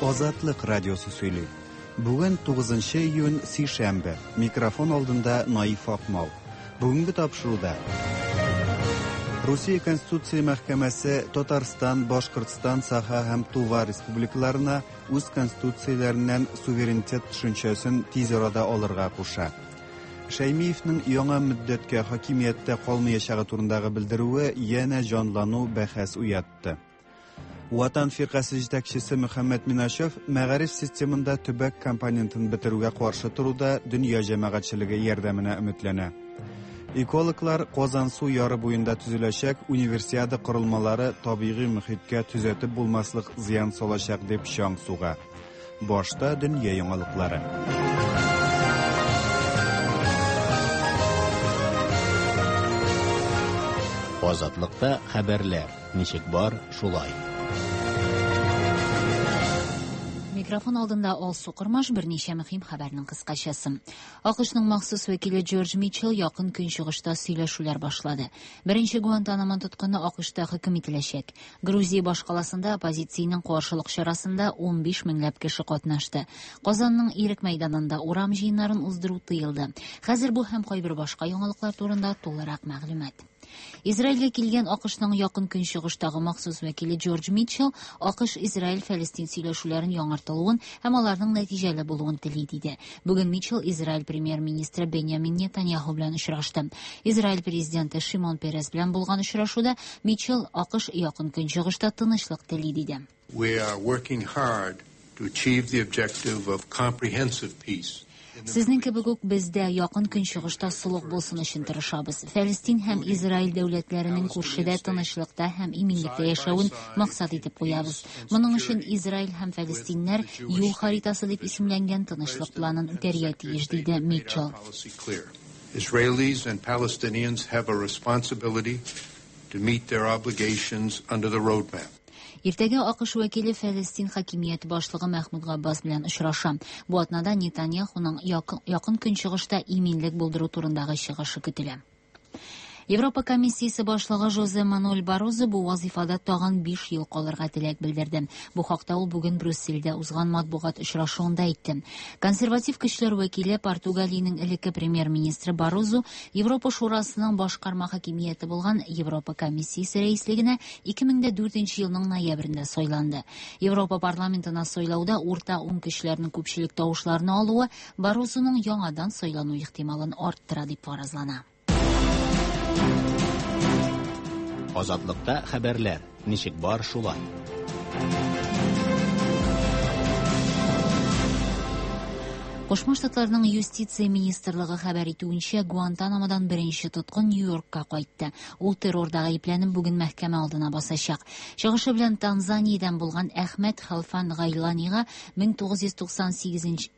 Азатлык радиосы сөйли. Бүген 9 июнь, сишәмбе. Микрофон алдында Наиф Акмал. Бүгенге тапшыруда Русия Конституция мәхкәмәсе Татарстан, Башкортстан, Саха һәм Тува республикаларына үз конституцияләреннән суверенитет төшенчәсен тиз арада алырга куша. Шәймиевнең яңа мөддәткә хакимияттә калмаячагы турындагы белдерүе янә җанлану бәхәс уятты. Ватан фиркасе җитәкчесе Мөхәммәт Миначев мәгариф системында төбәк компонентын бетерүгә каршы торуда дөнья җәмәгатьчелеге ярдәменә өметләнә. Экологлар Казансу яры буенда төзеләчәк универсиада корылмалары табигый мөхиткә төзәтеп булмаслык зыян салачак дип чаң суга. Башта дөнья яңалыклары. Азатлыкта хәбәрләр ничек бар, шулай. Микрофон алдында Алсу Кормаш, берничә мөһим хәбәрнең кыскачасы. АКШның махсус вәкиле Джордж Митчелл Якын Көнчыгышта сөйләшүләр башлады. Беренче Гуантанамо тоткыны АКШта хөкем ителәчәк. Грузия башкаласында оппозициянең каршылык чарасында 15 меңләп кеше катнашты. Казанның Ирек мәйданында урам җыеннарын уздыру тыелды. Хәзер бу һәм кайбер башка яңалыклар турында тулырак мәгълүмат. Израильгә килгән АКШның Якын Көнчыгыштагы махсус вәкиле Джордж Митчелл АКШ-Израиль-Фәлестин сөйләшүләрен яңартылуын һәм аларның нәтиҗәле булуын тели, диде. Бүген Митчелл Израиль премьер-министры Беньямин Нетаньяху белән очрашты. Израиль президенты Шимон Перес белән булган очрашуда Митчелл АКШ Якын Көнчыгышта тынычлык тели, диде. We are working hard to achieve the objective of comprehensive peace. Сезнең кебек үк без дә Якын Көнчыгышта солых булсын өчен тырышабыз. Фәлестин һәм Израиль дәүләтләренең күршедә тынычлыкта һәм иминлектә яшәвен максат итеп куябыз. Моның өчен Израиль һәм фәлестиннәр Юл харитасы дип исемләнгән тынычлык планын үтәргә тиеш, диде Митчелл. Israelis and Palestinians have a responsibility to meet their obligations under the roadmap. Иртәгә АКШ вәкиле Фәлестин хакимияте башлыгы Мәхмүд Габбас белән очраша. Бу атнада Нетаньяхуның Якын Көнчыгышта иминлек булдыру турындагы чыгышы көтелә. Европа комиссиясе башлыгы Жозе Мануэль Баррозо бу вазифада тагын 5 ел калырга теләк белдерде. Бу хакта ул бүген Брюссельдә узган матбугат очрашуында әйтте. Консерватив көчләр вәкиле, Португалиянең элекке премьер-министры Баррозо Европа Шурасының башкарма хакимияте булган Европа комиссиясе рәислегенә 2004 елның ноябрендә сайланды. Европа парламентына сайлауда урта уң көчләрнең күпчелек тавышларны алуы Баррозоның яңадан сайлану ихтималын арттыра дип фаразлана. Азатлыкта хәбәрләр ничек бар, шулай. Кушма Штатларның юстиция министрлыгы хәбәр итүенчә, Гуантанамодан беренче тоткын Нью-Йоркка кайтты. Ул террорда гаепләнеп бүген мәхкәмә алдына басачак. Чыгышы белән Танзаниядән булган Әхмәт Халфан Гайланига 1998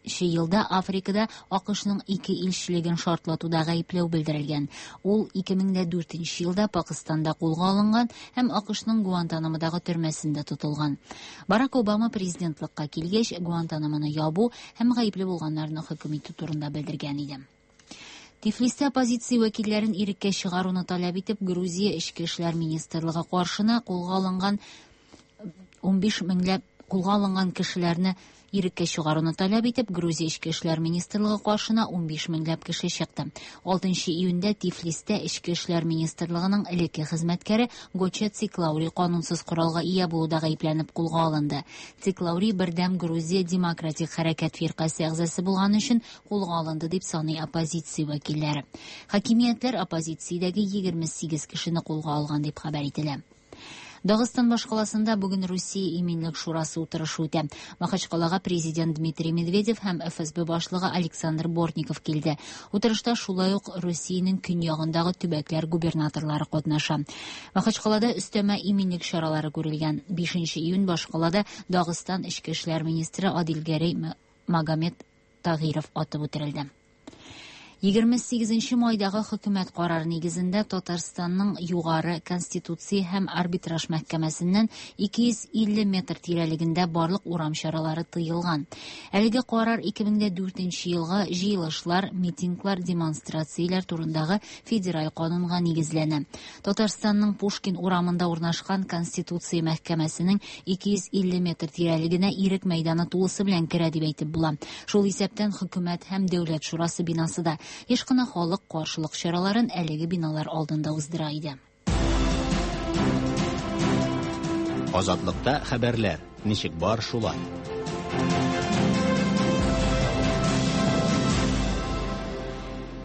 елда Африкада АКШның ике илчелеген шартлатуда гаепләү белдерелгән. Ул 2004 елда Пакыстанда кулга алынган һәм АКШның Гуантанамодагы төрмәсендә тотылган. Барак Обама президентлыкка килгәч, Гуантанамоны ябу һәм гаепле булганнарны хөкем итү турында белдергән иде. Тифлистә оппозиция вәкилләрен иреккә чыгаруны таләп итеп, Грузия Эчке эшләр министрлыгы каршына кулга алынган 15 меңләп кулга алынган кешеләрне иреккә чыгаруны таләп итеп, Грузия Эчке эшләр министрлыгы каршына 15 меңләп кеше чыкты. 6 июньдә Тифлистә Эчке эшләр министрлыгының элекке хезмәткәре Гоча Циклаури канунсыз коралга ия булуда гаепләнеп кулга алынды. Циклаури Бердәм Грузия демократик хәрәкәт фиркасе әгъзасы булган өчен кулга алынды дип саный оппозиция вәкилләре. Хакимиятләр оппозициядәге 28 кешене кулга алган дип хәбәр ителә. Дагыстан башкаласында бүген Русия Иминлек шурасы утырышы үтә. Махачкалага президент Дмитрий Медведев һәм ФСБ башлыгы Александр Бортников килде. Утырышта шулай ук Русиянең көньягындагы төбәкләр губернаторлары катнаша. Махачкалада өстәмә иминлек чаралары күрелгән. 5 июнь башкалада Дагыстан эчке эшләр министры Адилгәрәй Магомед Тагиров атып үтерелде. 28 майдагы хөкүмәт карары нигезендә Татарстанның Югары Конституция һәм арбитраж мәхкәмәсеннән 250 метр тирәлегендә барлык урам чаралары тыелган. Әлеге карар 2004 елгы җыелышлар, митинглар, демонстрацияләр турындагы федераль канунга нигезләнә. Татарстанның Пушкин урамында урнашкан Конституция мәхкәмәсенең 250 метр тирәлегенә Ирек мәйданы тулысы белән керә дип әйтеп була. Шул исәптән хөкүмәт һәм Дәүләт шурасы бинасы да. Еш кына халык каршылык чараларын әлеге биналар алдында уздыра иде. Азатлыкта хәбәрләр, ничек бар шулай.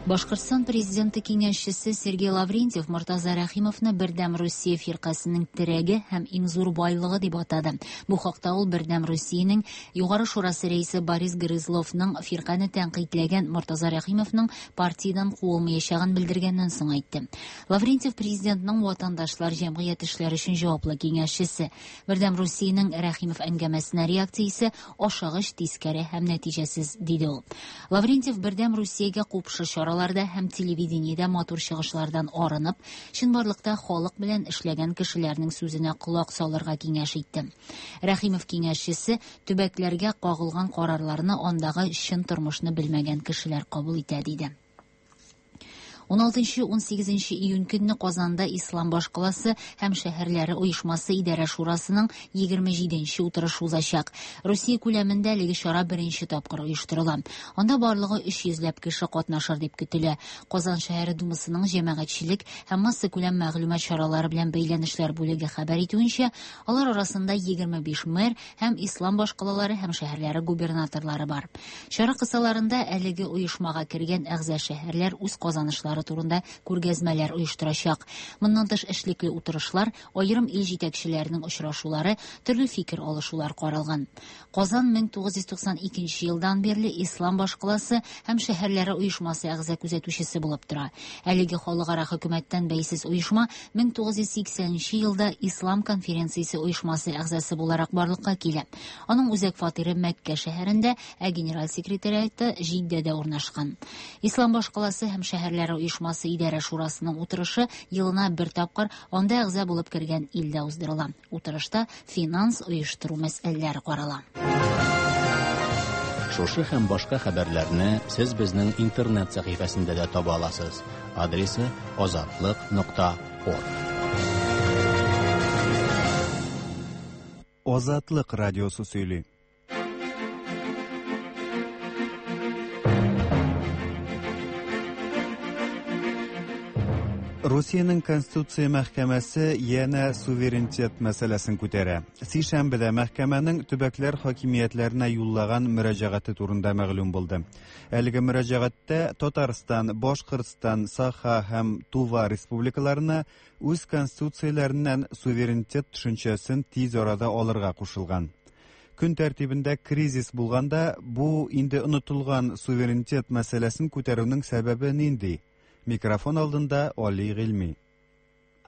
Башкортстан президенты киңәшчесе Сергей Лаврентьев Мортаза Рәхимовны Бердәм Русия фиркасының терәге һәм иң зур байлыгы дип атады. Бу хакта ул Бердәм Русиянең Югары шурасы рәисе Борис Грызловның фиркане тәнкыйтьләгән Мортаза Рәхимовның партиядән куылмаячагын белдергәннән соң әйтте. Лаврентьев президентның ватандашлар җәмгыять эшләре өчен җаваплы киңәшчесе. Бердәм Русиянең Рәхимов әңгәмәсенә реакциясе ашыгыч, тискәре һәм нәтиҗәсез, диде ул. Лаврентьев Бердәм Русиягә купшы чараларда һәм телевидениедә матур чыгышлардан арынып, чынбарлыкта халык белән эшләгән кешеләрнең сүзенә колак салырга киңәш итте. Рәхимов киңәшчесе төбәкләргә кагылган карарларны андагы чын тормышны белмәгән кешеләр кабул итә, диде. 16-18 июнь көнне Казанда Ислам башкаласы һәм шәһәрләре оешмасы идарә шурасының 27 утырышы узачак. Русия күләмендә әлеге чара беренче тапкыр оештырыла. Анда барлыгы 300 ләп кеше катнашыр дип көтелә. Казан шәһәре думасының җәмәгатьчелек һәм массакүләм мәгълүмат чаралары белән бәйләнешләр бүлеге хәбәр итүенчә, алар арасында 25 мэр һәм ислам башкалалары һәм шәһәрләре губернаторлары бар. Чара кысаларында әлеге оешмага кергән әгъза шәһәрләр үз казанышлары турында күргәзмәләр оештырачак. Моннан тыш эшлекле утырышлар, аерым ил җитәкчеләренең очрашулары, төрле фикер алышулар каралган. Казан 1992 елдан бирле Ислам башкаласы һәм шәһәрләре оешмасы әгъза күзәтүчесе булып тора. Әлеге халыкара хөкүмәттән бәйсез оешма 1980 елда Ислам конференциясе оешмасы әгъзасы буларак барлыкка килә. Аның үзәк фатиры Мәккә шәһәрендә, ә генераль секретариаты Җиддәдә урнашкан. Ислам башкаласы һәм шәһәрләре оешмасы идарә шурасының утырышы елына бер тапкыр анда әгъза булып кергән илдә уздырыла. Утырышта финанс оештыру мәсьәләләре карала. Шушы һәм башка хәбәрләрне сез безнең интернет сәхифәсендә дә таба аласыз. Адресы azatliq.org. Азатлык радиосы сөйли. Русиянең Конституция мәхкәмәсе янә суверенитет мәсьәләсен күтәрә. Сишәмбедә мәхкәмәнең төбәкләр хакимиятләренә юллаган мөрәҗәгате турында мәгълүм булды. Әлеге мөрәҗәгатьтә Татарстан, Башкортстан, Саха һәм Тува республикаларына үз конституцияләреннән суверенитет төшенчәсен тиз арада алырга кушылган. Көн тәртибендә кризис булганда, бу инде онытылган суверенитет мәсьәләсен күтәрүнең сәбәбе нинди? Микрофон алдында Али Гыйльми.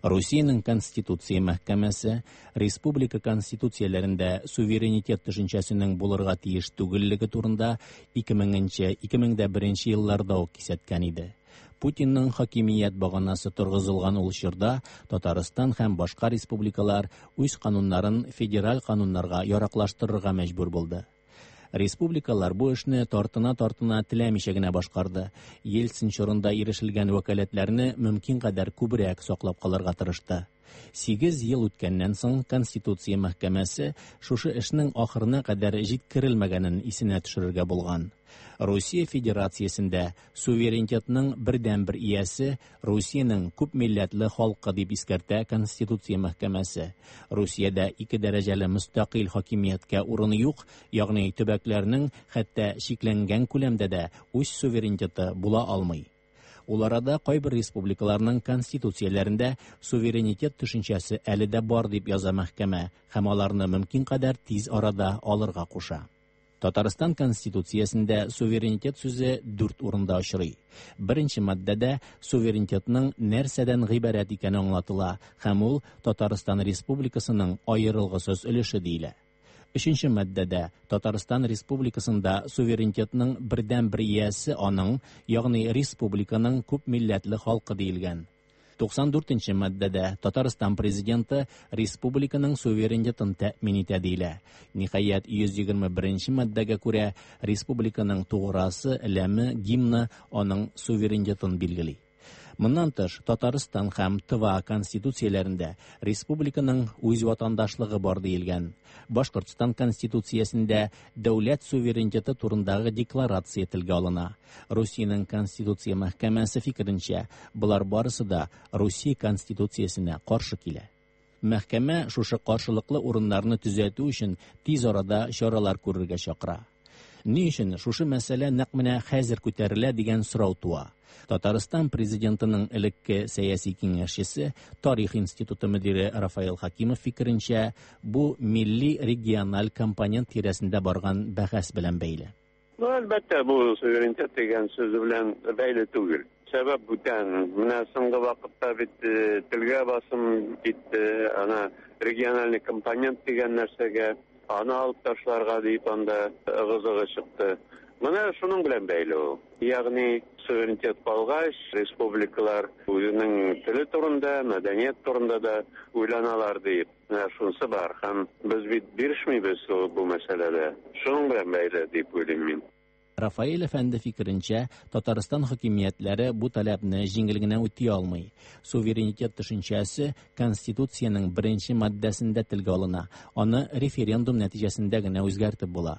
Русиянең Конституция мәхкәмәсе республика конституцияләрендә суверенитет төшенчәсенең булырга тиеш түгеллеге турында 2000-2001 елларда ук кисәткән иде. Путинның хакимият баганасы торгызылган ул чорда Татарстан һәм башка республикалар үз кануннарын федераль кануннарга яраклаштырырга мәҗбүр булды. Республикалар бу эшне тартына-тартына теләмичә генә башкарды. Ельцин чорында ирешелгән вәкаләтләрне мөмкин кадәр күбрәк саклап калырга тырышты. 8 ел үткәннән соң Конституция мәхкәмәсе шушы эшнең ахырына кадәр җиткерелмәгәнен исенә төшерергә булган. Русия Федерациясендә суверенитетның бердәнбер иясе Русиянең күп милләтле халкы дип искәртә Конституция мәхкәмәсе. Русиядә ике дәрәҗәле мөстәкыйль хакимияткә урын юк, ягъни төбәкләрнең хәтта чикләнгән күләмдә дә үз суверенитеты була алмый. Ул арада кайбер республикаларның конституцияләрендә суверенитет төшенчәсе әле дә бар дип яза мәхкәмә һәм аларны мөмкин кадәр тиз арада алырга куша. Татарстан Конституциясендә суверенитет сүзе 4 урында очрый. Беренче маддәдә суверенитетның нәрсәдән гыйбарәт икәне аңлатыла һәм ул Татарстан Республикасының аерылгысыз өлеше диелә. Өченче маддәдә Татарстан Республикасында суверенитетның бердәнбер иясе аның, ягъни республиканың күпмилләтле халкы диелгән. 94 нче маддәдә Татарстан Президенты республиканың суверенитетын тәэмин итә диелә. Ниһаять, 121 нче маддәгә күрә, республиканың туграсы, ләме, гимны аның суверенитетын билгели. Моннан тыш, Татарстан һәм Тыва конституцияләрендә республиканың үз ватандашлыгы бар диелгән. Башкортстан конституциясендә дәүләт суверенитеты турындагы декларация телгә алына. Русиянең Конституция мәхкәмәсе фикеренчә, болар барысы да Русия конституциясенә каршы килә. Мәхкәмә шушы каршылыклы урыннарны төзәтү өчен тиз арада чаралар күрергә чакыра. Ни өчен шушы мәсьәлә нәкъ менә хәзер күтәрелә дигән сорау туа. Татарстан президентының элекке сәяси киңәшчесе, Тарих институты мөдире Рафаэл Хакимов фикеренчә, бу милли региональ компонент тирәсендә барган бәхәс белән бәйле. Ну, әлбәттә, бу суверенитет дигән сүз белән бәйле түгел. Сәбәп бүтән. Менә соңгы вакытта бит э, телгә басым китте, ана региональный компонент дигән нәрсәгә, аны алып ташларга дип анда ыгы-зыгы чыкты. Менә шуның белән бәйле ул. Ягъни суверенитет калгач, республикалар үзенең теле турында, мәдәният турында да уйланалар дип. Менә шунысы бар. Һәм без бит бирешмибез бу мәсьәләдә. Шуның белән бәйле дип уйлыйм мин. Рафаэль әфәнде фикеренчә, Татарстан хакимиятләре бу таләпне җиңел генә үти алмый. Суверенитет төшенчәсе Конституциянең беренче маддәсендә телгә алына, аны референдум нәтиҗәсендә генә үзгәртеп була.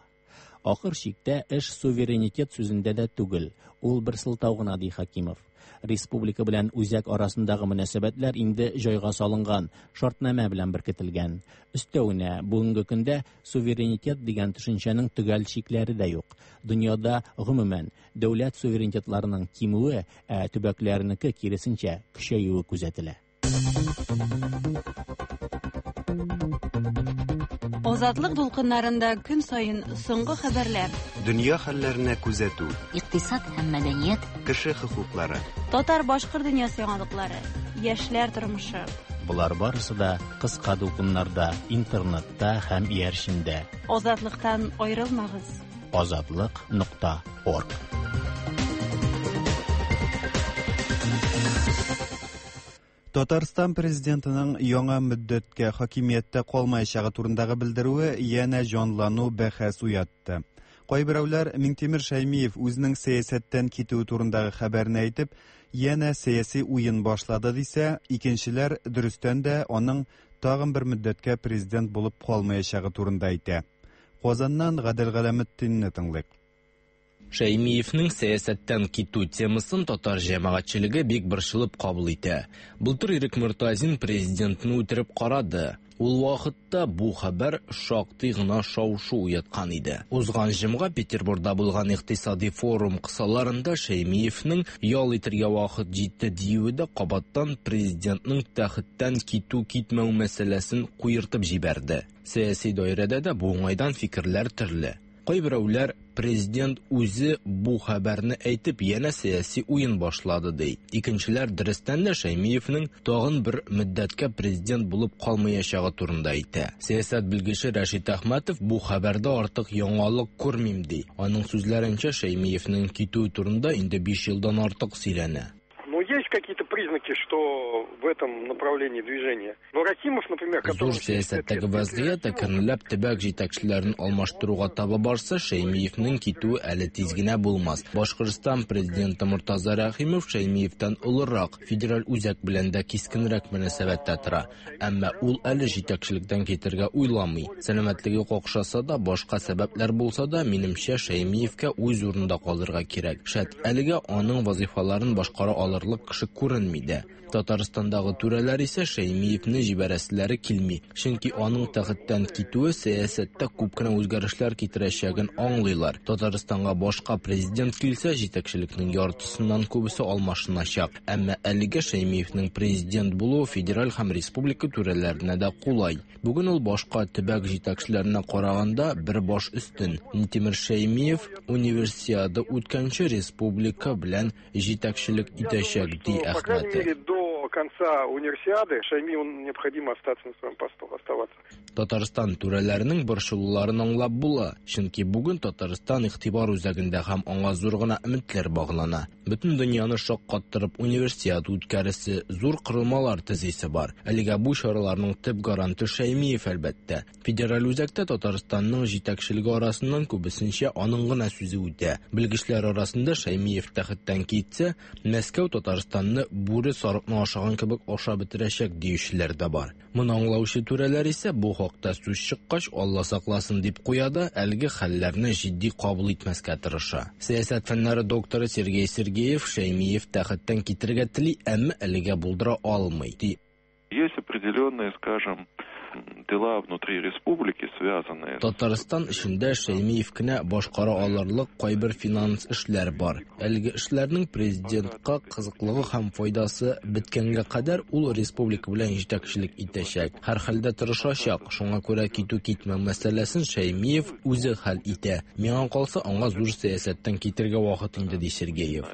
Ахыр чиктә эш суверенитет сүзендә дә түгел, ул бер сылтау гына, ди Хакимов. Республика белән үзәк арасындагы мөнәсәбәтләр инде җайга салынган, шартнамә белән беркетелгән. Өстәвенә, бүгенге көндә суверенитет дигән төшенчәнең төгәл чикләре дә юк. Дөньяда, гомумән, дәүләт суверенитетларының кимүе, ә төбәкләрнеке, киресенчә, көчәюе күзәтелә. Азатлык дулкыннарында көн саен соңгы хәбәрләр. Дөнья хәлләренә күзәтү. Икътисад һәм мәдәният. Кеше хокуклары. Татар-башкорт дөньясы яңалыклары. Яшьләр тормышы. Болар барысы да кыска дулкыннарда, интернетта һәм иярчендә. Азатлыктан аерылмагыз. Азатлык нокта орг. Татарстан президентының яңа мөддәткә хакимияттә калмаячагы турындагы белдерүе янә җанлану бәхәс уятты. Кайберәүләр Миңтимер Шәймиев үзенең сәясәттән китүе турындагы хәбәрне әйтеп, янә сәяси уен башлады дисә, икенчеләр дөрестән дә аның тагын бер мөддәткә президент булып калмаячагы турында әйтә. Казаннан Гадел Галәметдинне тыңлыйк. Шәймиевнең сәясәттән китү темасын татар җәмәгатьчелеге бик борчылып кабул итә. Былтыр Ирек Мортазин президентны үтереп карады. Ул вакытта бу хәбәр шактый гына шау-шу уяткан иде. Узган җомга Петербургда булган икътисади форум кысаларында Шәймиевнең ял итергә вакыт җитте диюе дә кабаттан президентның тәхеттән китү-китмәү мәсьәләсен куертып җибәрде. Сәяси даирәдә дә бу уңайдан фикерләр төрле. Кайберәүләр президент үзе бу хәбәрне әйтеп янә сәяси уен башлады ди. Икенчеләр дөрестән дә Шәймиевнең тагын бер мөддәткә президент булып калмаячагы турында әйтә. Сәясәт белгече Рәшит Әхмәтов бу хәбәрдә артык яңалык күрмим ди. Аның сүзләренчә, Шәймиевнең китүе турында инде 5 елдан артык сөйләнә. Ну, есть какие-то признаки, что в этом направлении движения. Но Рахимов, например, который... Зур сәясәттәге вәзгыять әкренләп төбәк җитәкчеләрен алмаштыруга таба барса, Шәймиевнең китүе әле тиз генә булмас. Башкортстан президенты Мортаза Рәхимов Шәймиевтән олырак, федераль үзәк белән дә кискенрәк мөнәсәбәттә тора. Әмма ул әле җитәкчелектән китергә уйламый. Сәламәтлеге какшаса да, башка сәбәпләр булса да, минемчә, Шәймиевкә үз урынында калырга кирәк. Шәт, әлегә аның вазифаларын башкара алырлык кеше күренми дә. Татарстандагы түрәләр исә Шәймиевне җибәрәселәре килми, чөнки аның тәхеттән китүе сәясәттә күп кенә үзгәрешләр китерәчәген аңлыйлар. Татарстанга башка президент килсә, җитәкчелекнең яртысыннан күбесе алмашыначак. Әмма әлегә Шәймиевнең президент булуы федераль һәм республика түрәләренә дә кулай. Бүген ул башка төбәк җитәкчеләренә караганда бер баш өстен. Минтимер Шәймиев универсиада үткәнче республика белән җитәкчелек итәчәк, ди По крайней Әхмәтов. мере, до конца Универсиады Шаймиеву необходимо остаться на своем посту, оставаться. Татарстан түрәләренең борчылуларын аңлап була, чөнки бүген Татарстан игътибар үзәгендә һәм аңа зур гына өметләр баглана. Бөтен дөньяны шаккаттырып Универсиада үткәрәсе, зур корылмалар төзисе бар. Әлегә бу чараларның төп гаранты Шәймиев, әлбәттә. Федераль үзәктә Татарстанның җитәкчелеге арасыннан күбесенчә аның гына сүзе үтә. Белгечләр арасында Шәймиев тәхеттән китсә, Мәскәү Татарстанны бүре сарыкны ашаган кебек ашап бетерәчәк диючеләр дә бар. Моны аңлаучы түрәләр исә бу хакта сүз чыккач, Алла сакласын дип куя да, әлеге хәлләрне җитди кабул итмәскә тырыша. Сәясәт фәннәре докторы Сергей Сергеев Шәймиев тәхеттән китәргә тели, әмма әлегә булдыра алмый, ди. Есть определенные, скажем, дела внутри республики, связанные... Татарстан эчендә Шәймиев кенә башкара алырлык кайбер финанс эшләр бар. Әлеге эшләрнең президентка кызыклыгы һәм файдасы беткәнгә кадәр ул республика белән җитәкчелек итәчәк. Һәрхәлдә тырышачак. Шуңа күрә китү-китмәү мәсьәләсен Шәймиев үзе хәл итә. Миңа калса, аңа зур сәясәттән китәргә вакыт инде, ди Сергеев.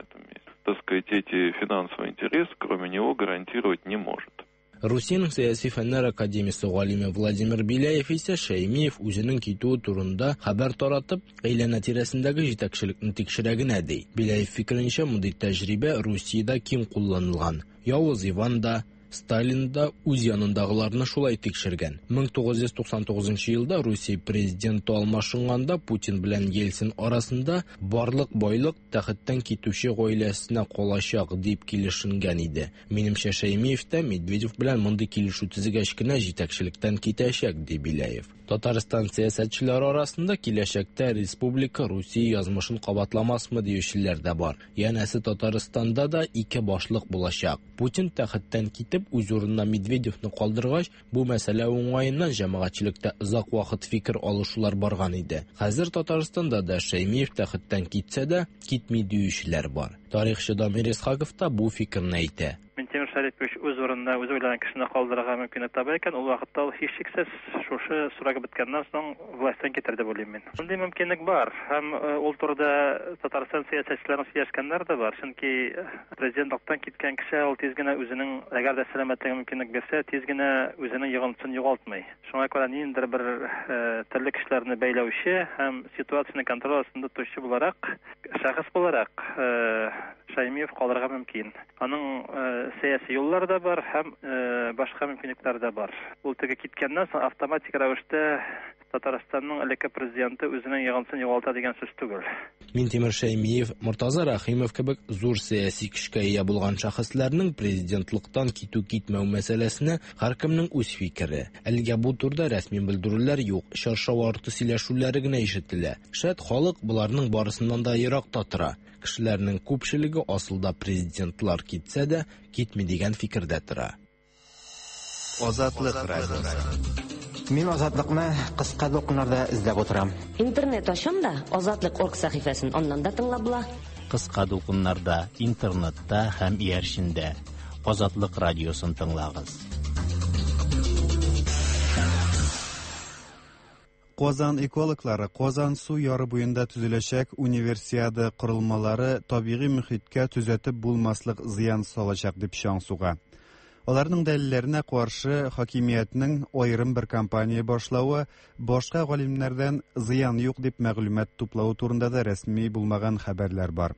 Так сказать, эти финансовые интересы, кроме него, гарантировать не может. Русиянең Сәяси фәннәр академиясе галиме Владимир Беляев исә Шәймиев үзенең китүе турында хәбәр таратып, әйләнә-тирәсендәге җитәкчелекне тикшерә генә ди. Беляев фикеренчә, мондый тәҗрибә Русиядә киң кулланылган. Явыз Иван да, Сталин да үз янындагыларны шулай тикшергән. 1999 елда Русия президенты алмашынганда Путин белән Ельцин арасында барлык байлык тәхеттән китүче гаиләсенә калачак дип килешенгән иде. Минемчә, Шәймиев тә Медведев белән мондый килешү төзегәч кенә җитәкчелектән китәчәк, ди Беляев. Татарстан сәясәтчеләре арасында киләчәктә республика Русия язмышын кабатламасмы диючеләр дә бар. Янәсе, Татарстанда да ике башлык булачак. Путин тәхеттән китеп, үз урынына Медведевны калдыргач, бу мәсьәлә уңаеннан җәмәгатьчелектә озак вакыт фикер алышулар барган иде. Хәзер Татарстанда да Шәймиев тәхеттән китсә дә, китми диючеләр бар. Тарихчы Дамир Исхаков та бу фикерне әйтә. Минтимер Шәрипович үз урынына үзе уйлаган кешене калдырырга мөмкинлек таба икән, ул вакытта ул һичшиксез шушы срогы беткәннән соң властьтан китәр дип уйлыйм мин. Мондый мөмкинлек бар һәм ул турыда Татарстан сәясәтчеләренең сөйләшкәннәре дә бар. Чөнки президентлыктан киткән кеше ул тиз генә үзенең, әгәр дә сәламәтлеге мөмкинлек бирсә, тиз генә үзенең йогынтысын югалтмый. Шуңа күрә ниндидер бер төрле кешеләрне бәйләүче һәм ситуацияне контроль астында тотучы буларак, шәхес буларак Шәймиев калырга мөмкин. Аның сәяси юллары да бар һәм башка мөмкинлекләре дә бар. Ул теге киткәннән соң автоматик рәвештә Татарстанның элекке президенты үзенең йогынтысын югалта дигән сүз түгел. Минтимер Шәймиев, Мортаза Рәхимов кебек зур сәяси көчкә ия булган шәхесләрнең президентлыктан китү-китмәү мәсьәләсенә һәркемнең үз фикере. Әлегә бу турыда рәсми белдерүләр юк, чаршау арты сөйләшүләре генә ишетелә. Шәт, халык боларның барысыннан да еракта тора. Кешеләрнең күпчелеге асылда президентлар китсә дә, китми дигән фикердә тора. Азатлык радиосы. Мин Азатлыкны кыска дулкыннарда эзләп утырам. Интернет ачам да, Азатлык орг сәхифәсен аннан да тыңлап була. Кыска дулкыннарда, интернетта һәм иярчендә. Азатлык радиосын тыңлагыз. Казан экологлары Казан су яры буенда төзеләчәк Универсиада корылмалары табигый мөхиткә төзәтеп булмаслык зыян салачак дип чаң суга. Аларның дәлилләренә каршы хакимиятнең аерым бер кампания башлавы, башка галимнәрдән зыян юк дип мәгълүмат туплавы турында да рәсми булмаган хәбәрләр бар.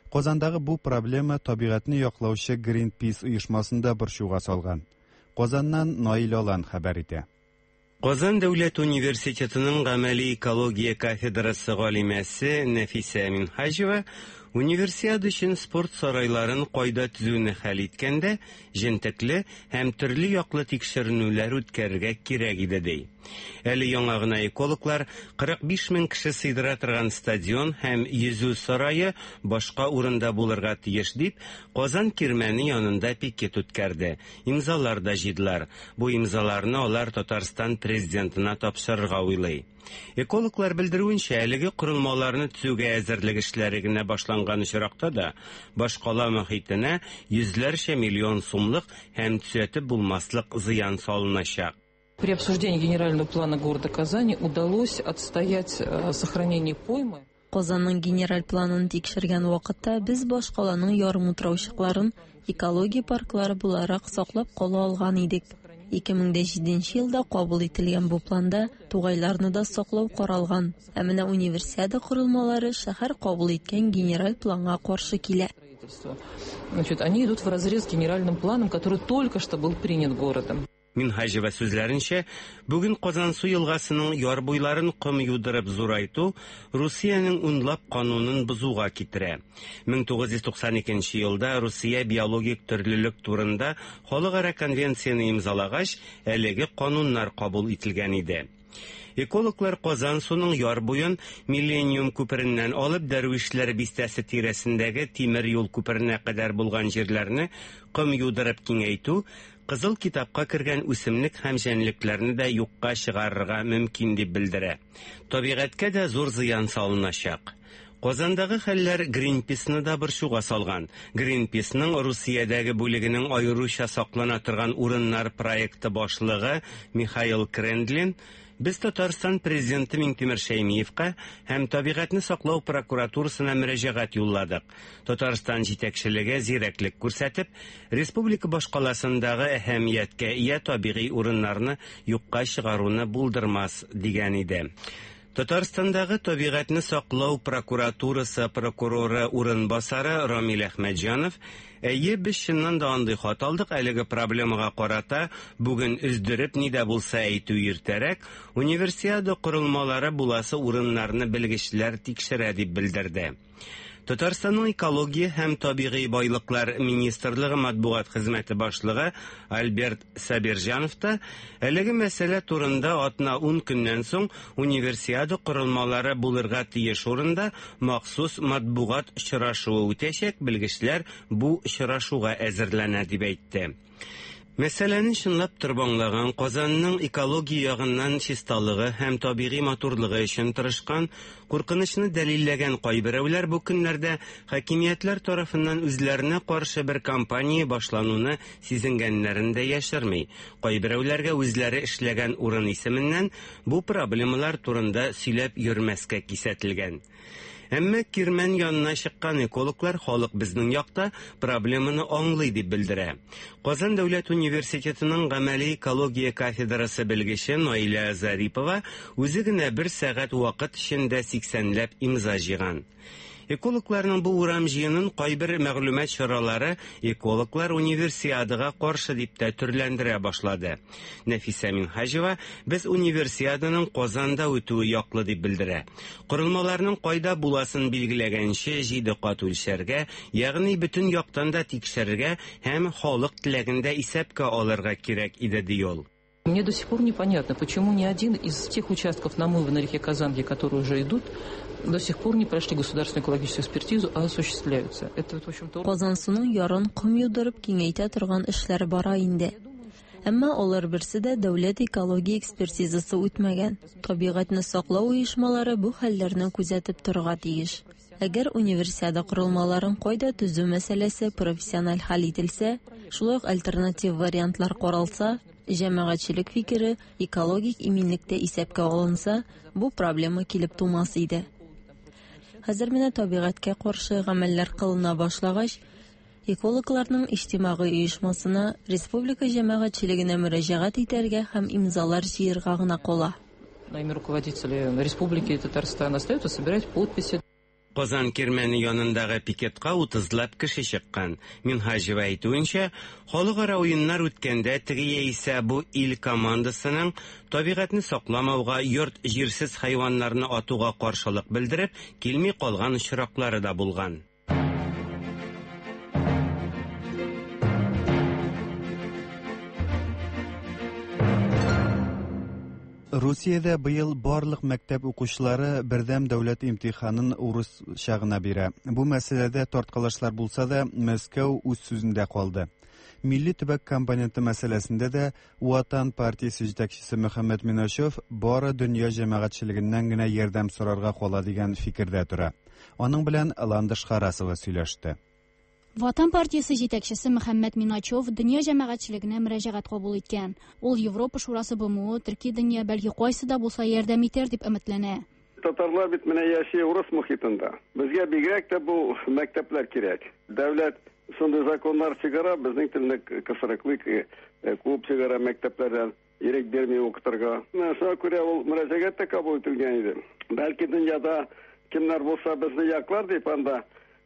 Казандагы бу проблема табигатьне яклаучы Greenpeace оешмасын да борчуга салган. Казаннан Наил Алан хәбәр итә. Казан дәүләт университетының гамәли экология кафедрасы галимәсе Нәфисә Минһаҗева Универсиада өчен спорт сарайларын кайда төзүне хәл иткәндә, җентекле һәм төрле яклы тикшеренүләр үткәрергә кирәк иде, ди. Әле яңа гына экологлар 45 мең кеше сыйдыра торган стадион һәм йөзү сарае башка урында булырга тиеш дип, Казан Кирмәне янында пикет үткәрде. Имзалар да җыйдылар. Бу имзаларны алар Татарстан Президентына тапшырырга уйлый. Экологлар белдерүенчә, әлеге корылмаларны төзүгә әзерлек эшләре генә башланган очракта да, башкала мохитенә йөзләрчә миллион сумлык һәм төзәтеп булмаслык зыян салыначак. При обсуждении генерального плана города Казани удалось отстоять э, сохранение поймы. Казанның генераль планын тикшергән вакытта без башкаланың ярымутраучыкларын экология парклары буларак саклап кала алган идек. 2007 елда кабул ителгән бу планда тугайларны да саклау каралган. Ә менә Универсиада корылмалары шәһәр кабул иткән генераль планга каршы килә. Значит, они идут вразрез с генеральным планом, который только что был принят городом. Минһаҗева сүзләренчә, бүген Казансу елгасының яр буйларын ком юдырып зурайту Русиянең унлап канунын бозуга китерә. 1992 елда Русия биологик төрлелек турында халыкара конвенцияне имзалагач, әлеге кануннар кабул ителгән иде. Экологлар Казансуның яр буен Миллениум күпереннән алып Дәрвишләр бистәсе тирәсендәге тимер юл күперенә кадәр булган җирләрне ком юдырып киңәйтү Кызыл китапка кергән үсемлек һәм җәнлекләрне дә юкка чыгарырга мөмкин дип белдерә. Табигатькә дә зур зыян салыначак. Казандагы хәлләр Гринписны да борчуга салган. Гринписның Русиядәге бүлегенең аеруча саклана торган урыннар проекты башлыгы Михаил Крендлин Без Татарстан президенты Миңтимер Шәймиевка һәм табигатьне саклау прокуратурасына мөрәҗәгать юлладык. Татарстан җитәкчелеге зирәклек күрсәтеп, республика башкаласындагы әһәмияткә ия табигый урыннарны юкка чыгаруны булдырмас, дигән иде. Татарстандагы табигатьне саклау прокуратурасы прокуроры урынбасары Рамил Әхмәтҗанов, Әйе, без чыннан да андый хат алдык, әлеге проблемага карата бүген өздереп ни дә булса әйтү иртәрәк, Универсиада корылмалары буласы урыннарны белгечләр тикшерә, дип белдерде. Татарстанның экология һәм табигый байлыклар министрлыгы матбугат хезмәте башлыгы Альберт Сабирҗанов та әлеге мәсьәлә турында атна-ун көннән соң Универсиада корылмалары булырга тиеш урында махсус матбугат очрашуы үтәчәк, белгечләр бу очрашуга әзерләнә дип әйтте. Мәсьәләне чынлап торып аңлаган, Казанның экология ягыннан чисталыгы һәм табигый матурлыгы өчен тырышкан, куркынычны дәлилләгән кайберәүләр бу көннәрдә хакимиятләр тарафыннан үзләренә каршы бер кампания башлануны сизенгәннәрен дә яшерми. Кайберәүләргә үзләре эшләгән урын исеменнән бу проблемалар турында сөйләп йөрмәскә кисәтелгән. Әмма Кирмән янына чыккан экологлар халык безнең якта, проблеманы аңлый дип белдерә. Казан дәүләт университетының гамәли экология кафедрасы белгече Наилә Зарипова үзе генә бер сәгать вакыт эчендә сиксәнләп имза җыйган. Экологларның бу урам җыенын кайбер мәгълүмат чаралары экологлар Универсиадага каршы дип тә төрләндерә башлады. Нәфисә Минһаҗева без Универсиаданың Казанда үтүе яклы дип белдерә. Корылмаларның кайда буласын билгеләгәнче җиде кат үлчәргә, ягъни бөтен яктан да тикшерергә һәм халык теләген дә исәпкә алырга кирәк иде, ди ул. Мне до сих пор непонятно, почему ни один из тех участков намыва на реке Казанке, которые уже идут, до сих пор не прошли государственную экологическую экспертизу, а осуществляются. Это вот, в общем-то... Казансуның ярын ком юдырып киңәйтә торган эшләр бара инде. Әмма алар берсе дә дәүләт экология экспертизасы үтмәгән. Табигатьне саклау оешмалары бу хәлләрне күзәтеп торырга тиеш. Әгәр Универсиада корылмаларын кайда төзү мәсьәләсе профессиональ хәл ителсә, шулай ук альтернатив вариантлар каралса, җәмәгатьчелек фикере, экологик иминлек тә исәпкә алынса, бу проблема килеп тумас иде. Хәзер менә табигатькә каршы гамәлләр кылына башлагач, Экологларның иҗтимагый оешмасына, республика җәмәгатьчелегенә мөрәҗәгать итәргә һәм имзалар җыерга гына кала. На имя руководителя Республики Татарстан остается собирать подписи. Казан Кирмәне янындагы пикетка утызлап кеше чыккан. Минһаҗева әйтүенчә, халыкара уеннар үткәндә теге яисә бу ил командасының табигатьне сакламауга, йорт-җирсез хайваннарны атуга каршылык белдереп, килми калган очраклары да булган. Русиядә быел барлык мәктәп укучылары бердәм дәүләт имтиханын урысча гына бирә. Бу мәсьәләдә тарткалашлар булса да, Мәскәү үз сүзендә калды. Милли төбәк компоненты мәсьәләсендә дә Ватан партиясе җитәкчесе Мөхәммәт Миначев бары дөнья җәмәгатьчелегеннән генә ярдәм сорарга кала дигән фикердә тора. Аның белән Ландыш Харасова сөйләште. Ватан партиясе җитәкчесе Мөхәммәт Миначев дөнья җәмәгатьчелегенә мөрәҗәгать кабул иткән. Ул Европа Шурасы БМО, төрки дөнья, бәлки кайсы да булса ярдәм итәр дип өметләнә. Татарлар бит менә яши урыс мохитында. Безгә бигрәк тә бу мәктәпләр кирәк. Дәүләт Шундый законнар чыгара, безнең телне кысрыклый, куып чыгара мәктәпләрдән, ирек бирми укытырга. Менә шуңа күрә ул мөрәҗәгать тә кабул ителгән иде. Бәлки дөньяда кемнәр булса безне яклар дип анда.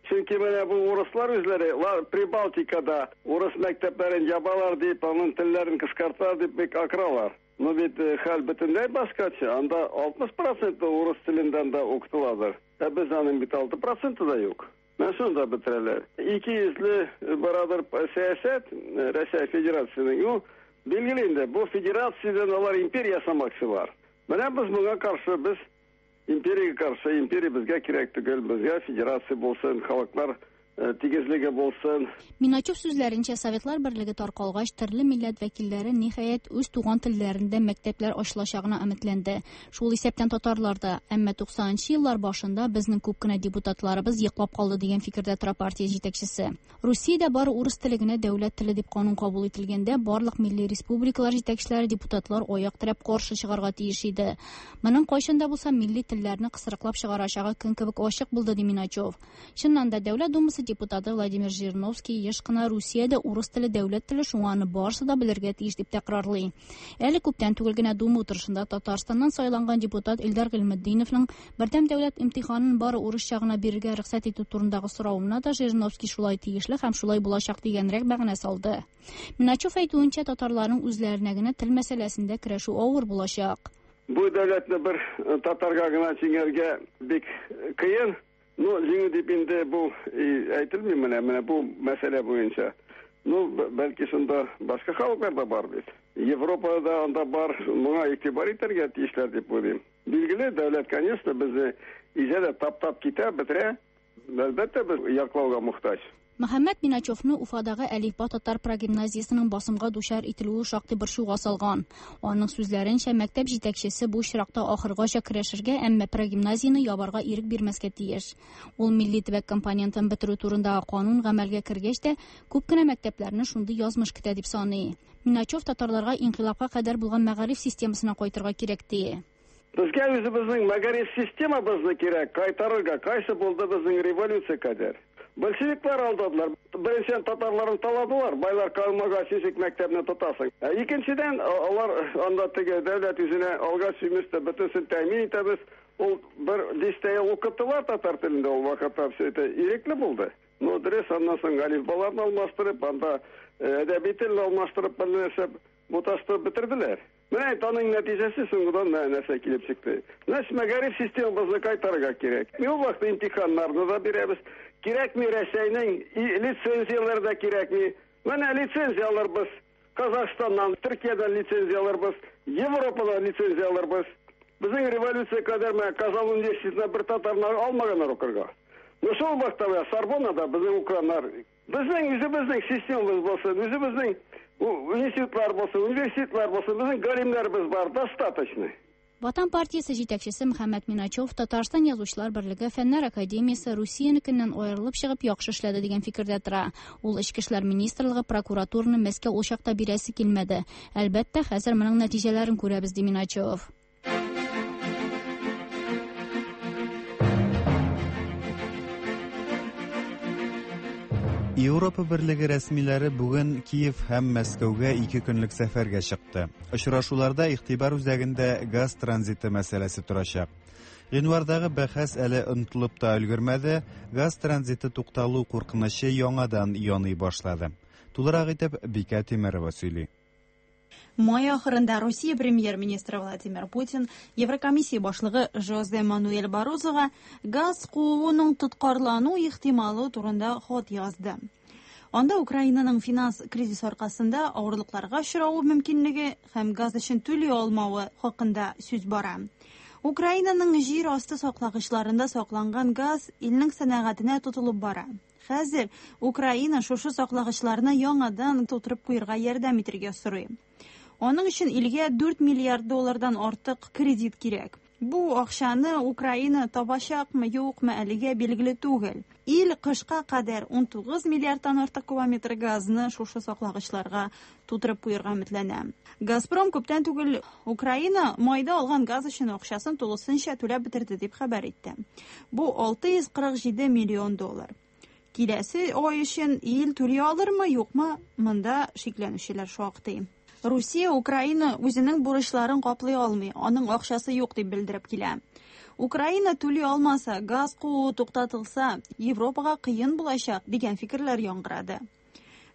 Чөнки менә бу урыслар үзләре Прибалтикада урыс мәктәпләрен ябалар дип, аның телләрен кыскарталар дип бик акыралар. Но бит хәл бөтенләй башкача, анда 60 проценты урыс телендә анда укытыладыр. Ә без аның бит 6 проценты да юк. Менә шунда бетерәләр. Икейөзле барадыр сәясәт Рәсәй Федерациясенең. Ну, билгеле инде, бу федерациядән алар империя ясамакчылар. Менә без моңа каршы, без империягә каршы, империя безгә кирәк түгел, безгә федерация булсын, халыклар тигезлеге булсын. Миначев сүзләренчә, Советлар Берлеге таркалгач, төрле милләт вәкилләре, ниһаять, үз туган телләрендә мәктәпләр ачылачагына өметләнде. Шул исәптән татарлар да. Әмма 90 нчы еллар башында безнең күп кенә депутатларыбыз йоклап калды дигән фикердә тора партия җитәкчесе. Русиядә бары урыс теле генә дәүләт теле дип канун кабул ителгәндә, барлык милли республикалар җитәкчеләре, депутатлар аяк терәп каршы чыгарга тиеш иде. Моның кайчан да булса милли телләрне кысрыклап чыгарачагы көн кебек ачык булды, ди Миначев. Чыннан да, Дәүләт Думасы депутаты Владимир Жириновский еш кына Русиядә урыс теле дәүләт теле, шуңа аны барысы да белергә тиеш дип тәкрарлый. Әле күптән түгел генә Дума утырышында Татарстаннан сайланган депутат Илдар Гыйльметдиновның бердәм дәүләт имтиханын бары урысча гына бирергә рөхсәт итү турындагы соравына да Жириновский шулай тиешле һәм шулай булачак дигәнрәк мәгънә салды. Миначев әйтүенчә, татарларның үзләренә генә тел мәсьәләсендә көрәшү авыр булачак. Бу дәүләтне бер татарга гына җиңәргә бик кыен. Ну, җиңү дип инде бу әйтелми менә, менә бу мәсьәлә буенча. Ну, бәлки шунда башка халыклар да бар бит. Европада анда бар, моңа игътибар итәргә тиешләр дип уйлыйм. Билгеле, дәүләт, конечно, безне изә дә таптап китә, бетерә. Әлбәттә, без яклауга мохтаҗ. Мөхәммәт Миначевны Уфадагы Әлифба татар прогимназиясенең басымга дучар ителүе шактый борчуга салган. Аның сүзләренчә, мәктәп җитәкчесе бу очракта ахыргача көрәшергә, әмма прогимназияне ябарга ирек бирмәскә тиеш. Ул милли төбәк компонентын бетерү турындагы канун гамәлгә кергәч тә, күп кенә мәктәпләрне шундый язмыш көтә дип саный. Миначев татарларга инкыйлабка кадәр булган мәгариф системасына кайтырга кирәк ди. Безгә үзебезнең мәгариф системабызны кирәк кайтарырга, кайсы булды безнең революция кадәр. Большевиклар алдадылар. Беренчедән татарларны таладылар, байлар калмагач ничек мәктәпне тотасың. Ә икенчедән, алар анда теге дәүләт үзенә алгач, имеш тә бөтенесен тәэмин итәбез. Ул бер дистә ел укыттылар татар телендә ул вакытта все это ирекле булды. Ну, дөрес, аннан соң әлифбаларны алмаштырып, анда әдәби телне алмаштырып, бер нәрсә буташтырып бетерделәр. Менә инде аның нәтиҗәсе соңгыдан менә нәрсә килеп чыкты. Значит, мәгариф системабызны кайтарырга кирәк. Ул вакытта имтиханнарны да бирәбез. Кирәкми Рәсәйнең лицензияләре дә кирәкми. Менә лицензия алырбыз. Казахстаннан, Төркиядән лицензия алырбыз, Европадан лицензия алырбыз. Безнең революция кадәр менә Казан университетына бер татарны алмаганнар укырга. Но шул вакытта менә Сорбоннада безнең укыганнар Безнең үзебезнең системабыз булсын, үзебезнең институтлар булсын, университетлар булсын, безнең галимнәребез бар, достаточно. Ватан партиясе җитәкчесе Мөхәммәт Миначев Татарстан Язучылар берлеге, Фәннәр академиясе Русиянекеннән аерылып чыгып яхшы эшләде дигән фикердә тора. Ул Эчке эшләр министрлыгы, прокуратураны Мәскәү ул чакта бирәсе килмәде. Әлбәттә, хәзер моның нәтиҗәләрен күрәбез, ди Миначев. Европа берлеге рәсмиләре бүген Киев һәм Мәскәүгә ике көнлек сәфәргә чыкты. Очрашуларда игътибар үзәгендә газ транзиты мәсьәләсе торачак. Гыйнвардагы бәхәс әле онытылып та өлгермәде, газ транзиты тукталу куркынычы яңадан яный башлады. Тулырак итеп Бикә Тимерова сөйли. Май ахырында Русия премьер-министры Владимир Путин Еврокомиссия башлыгы Жозе Мануэль Барозога газ кууның тоткарлану ихтималы турында хат язды. Анда Украинаның финанс кризис аркасында авырлыкларга очравы мөмкинлеге һәм газ өчен түли алмавы хакында сүз бара. Украинаның җир асты саклагычларында сакланган газ илнең сәнәгатенә тотылып бара. Хәзер Украина шушы саклагычларны яңадан тутырып куерга ярдәм итергә сорый. Аның өчен илгә 4 миллиард доллардан артык кредит кирәк. Бу акчаны Украина табачакмы, юкмы, әлегә билгеле түгел. Ил кышка кадәр 19 миллиардтан артык кубометр газны шушы саклагычларга тутырып куерга өметләнә. Газпром күптән түгел Украина майда алган газ өчен акчасын тулысынча түләп бетерде дип хәбәр итте. Бу 647 миллион доллар. Киләсе ай өчен ил түли алырмы, юкмы, монда шикләнүчеләр шактый. Русия Украина үзенең бурычларын каплый алмый, аның акчасы юк дип белдереп килә. Украина түли алмаса, газ куу туктатылса, Европага кыен булачак дигән фикерләр яңгырады.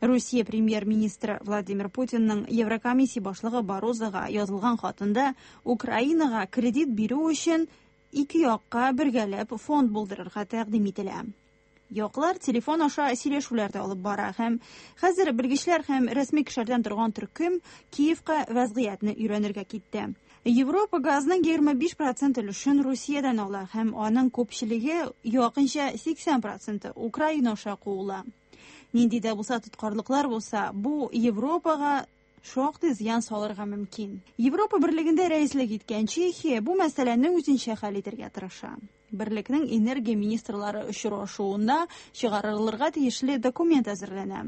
Русия премьер-министры Владимир Путинның Еврокомиссия башлыгы Барозога язылган хатында Украинага кредит бирү өчен ике якка бергәләп фонд булдырырга тәкъдим ителә. Яклар телефон аша сөйләшүләр дә алып бара һәм хәзер белгечләр һәм рәсми кешеләрдән торган төркем Киевка вәзгыятьне өйрәнергә китте. Европа газның 25% өлешен Русиядән ала һәм аның күпчелеге, якынча 80 проценты, Украина аша куыла. Нинди дә булса тоткарлыклар булса, бу Европага шактый зыян салырга мөмкин. Европа Берлегендә рәислек иткән Чехия бу мәсьәләне үзенчә хәл итәргә тырыша. Берлекнең энергия министрлары очрашуында чыгарылырга тиешле документ әзерләнә.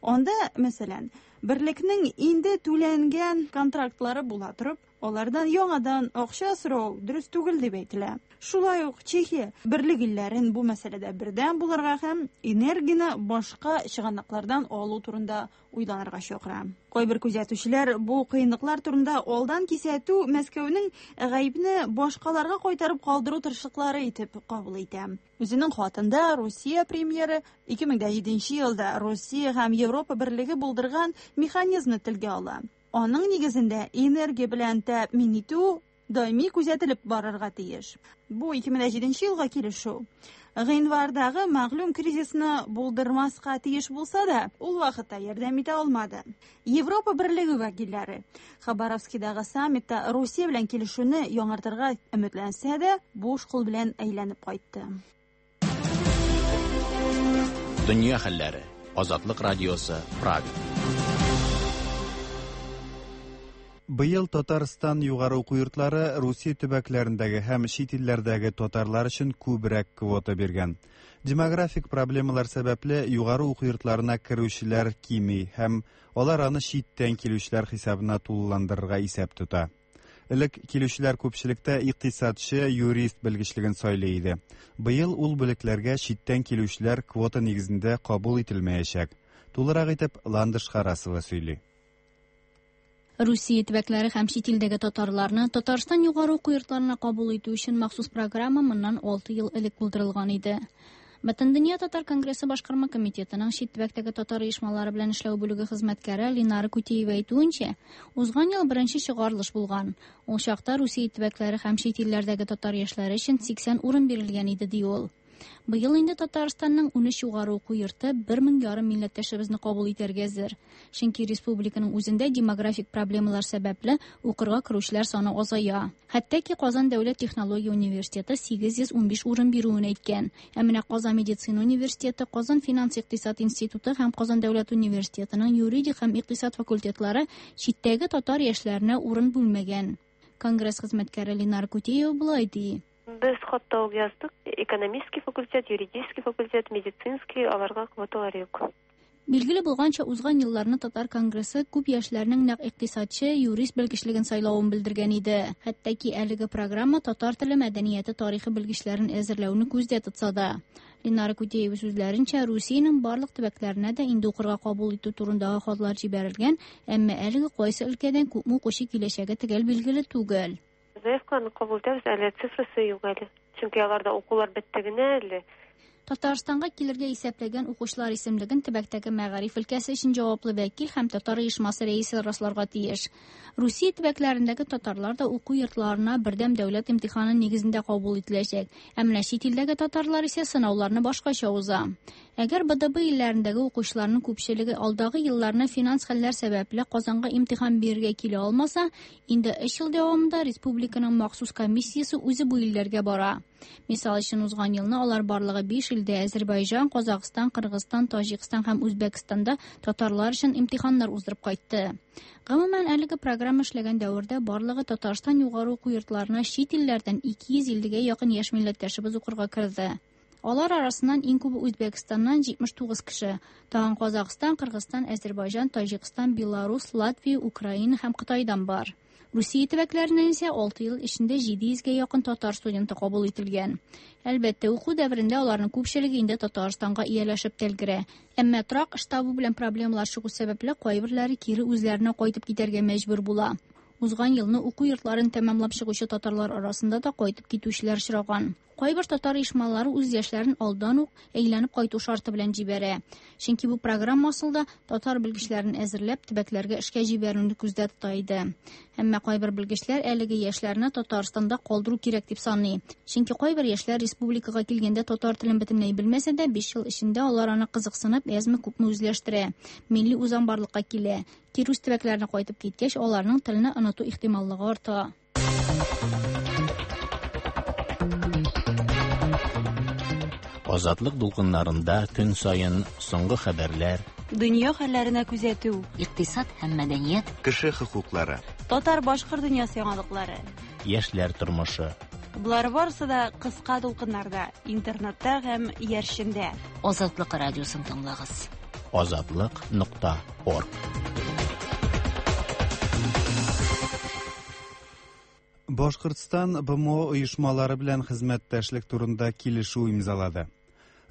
Анда, мәсәлән, берлекнең инде түләнгән контрактлары була торып, алардан яңадан акча сорау дөрес түгел дип әйтелә. Шулай ук Чехия берлек илләрен бу мәсьәләдә бердәм булырга һәм энергияне башка чыганаклардан алу турында уйланырга чакыра. Кайбер күзәтүчеләр бу кыенлыклар турында алдан кисәтү Мәскәүнең гаепне башкаларга кайтарып калдыру тырышлыклары итеп кабул итә. Үзенең хатында Русия премьеры 2007 елда Русия һәм Европа берлеге булдырган механизмны телгә ала. Аның нигезендә энергия белән тәэмин итү даими күзәтелеп барырга тиеш. Бу 2007 елга килешү гыйнвардагы мәгълүм кризисны булдырмаска тиеш булса да, ул вакытта ярдәм итә алмады. Европа берлеге вәкилләре Хабаровскидагы саммитта Русия белән килешүне яңартырга өметләнсә дә, буш кул белән әйләнеп кайтты. Дөнья хәлләре. Азатлык радиосы, Прага. Быел Татарстан югары уку йортлары Русия төбәкләрендәге һәм чит илләрдәге татарлар өчен күбрәк квота биргән. Демографик проблемалар сәбәпле югары уку йортларына керүчеләр кими һәм алар аны читтән килүчеләр хисабына тулыландырырга исәп тота. Элек килүчеләр күпчелектә икътисадчы, юрист белгечлеген сайлый иде. Быел ул бүлекләргә читтән килүчеләр квота нигезендә кабул ителмәячәк. Тулырак итеп Ландыш Харасова сөйли. Русия төбәкләре һәм чит илдәге татарларны Татарстан югары уку йортларына кабул итү өчен махсус программа моннан 6 ел элек булдырылган иде. Бөтендөнья татар конгрессы башкарма комитетының чит төбәктәге татар оешмалары белән эшләү бүлеге хезмәткәре Линара Кутеева әйтүенчә, узган ел беренче чыгарылыш булган. Ул чакта Русия төбәкләре һәм чит илләрдәге татар яшьләре өчен 80 урын бирелгән иде, ди ул. Быел инде Татарстанның 13 югары уку йорты 1 мең ярым милләттәшебезне кабул итәргә әзер. Чөнки республиканың үзендә демографик проблемалар сәбәпле укырга керүчеләр саны азая. Хәтта ки Казан дәүләт технология университеты 815 урын бирүен әйткән. Ә менә Казан медицина университеты, Казан финанс-икътисад институты һәм Казан дәүләт университетының юридик һәм икътисад факультетлары читтәге татар яшьләренә урын бүлмәгән. Конгресс хезмәткәре Ленар Кутеева болай ди. Без хатта ук яздык. Экономический факультет, юридический факультет, медицинский, аларга квоталар юк. Билгеле булганча, узган елларны Татар конгрессы күп яшьләрнең нәкъ икътисадчы, юрист белгечлеген сайлавын белдергән иде. Хәтта ки әлеге программа татар теле, мәдәнияте, тарихы белгечләрен әзерләүне күздә тотса да. Ленара Кутеева сүзләренчә, Русиянең барлык төбәкләренә дә инде укырга кабул итү турындагы хатлар җибәрелгән, әмма әлеге кайсы өлкәдән күпме укучы киләчәге төгәл билгеле түгел. Заявкаларны кабул итәбез, әле цифрасы юк әле. Чөнки аларда укулар бетте генә әле. Татарстанга килергә исәпләгән укучылар исемлеген төбәктәге мәгариф өлкәсе өчен җаваплы вәкил һәм татар оешмасы рәисе расларга тиеш. Русия төбәкләрендәге татарлар да уку йортларына бердәм дәүләт имтиханы нигезендә кабул ителәчәк. Ә менә чит илдәге татарлар исә сынауларны башкача уза. Әгәр БДБ илләрендәге укучыларның күпчелеге алдагы елларны финанс хәлләр сәбәпле Казанга имтихан бирергә килә алмаса, инде өч ел дәвамында республиканың махсус комиссиясе үзе бу илләргә бара. Мисал өчен, узган елны алар барлыгы 5 илдә Әзербайҗан, Казахстан, Кыргызстан, Таҗикстан һәм Үзбәкстанда татарлар өчен имтиханнар уздырып кайтты. Гомумән, әлеге программа эшләгән дәвердә барлыгы Татарстан югары уку йортларына чит илләрдән 250 гә якын яшь милләттәшебез укырга керде. Алар арасыннан иң күбе Үзбәкстаннан 79 кеше. Тагын Казахстан, Кыргызстан, Әзербайҗан, Таҗикстан, Беларус, Латвия, Украина һәм Кытайдан бар. Русия төбәкләреннән исә 6 ел эчендә 700 гә якын татар студенты кабул ителгән. Әлбәттә, уку дәверендә аларның күпчелеге инде Татарстанга ияләшеп тә өлгерә. Әмма торак эш табу белән проблемалар чыгу сәбәпле, кайберләре кире үзләренә кайтып китәргә мәҗбүр була. Узган елны уку йортларын тәмамлап чыгучы татарлар арасында да кайтып китүчеләр очраган. Кайбер татар оешмалары үз яшьләрен алдан ук әйләнеп кайту шарты белән җибәрә. Чөнки бу программа асылда татар белгечләрен әзерләп төбәкләргә эшкә җибәрүне күздә тота иде. Әмма кайбер белгечләр әлеге яшьләрне Татарстанда калдыру кирәк дип саный. Чөнки кайбер яшьләр республикага килгәндә татар телен бөтенләй белмәсә дә, 5 ел эчендә алар аны кызыксынып, әзме-күпме үзләштерә. Милли үзаң барлыкка килә. Кире үз төбәкләренә кайтып киткәч, аларның телне оныту ихтималлыгы арта. Азатлык дулкыннарында көн саен соңгы хәбәрләр, Дөнья хәлләренә күзәтү, икътисад һәм мәдәният, кеше хокуклары, татар-башкорт дөньясы яңалыклары, яшьләр тормышы. Болар барысы да кыска дулкыннарда, интернетта һәм иярчендә. Азатлык радиосын тыңлагыз. Азатлык.орг. Башкортстан БМО оешмалары белән хезмәттәшлек турында килешү имзалады.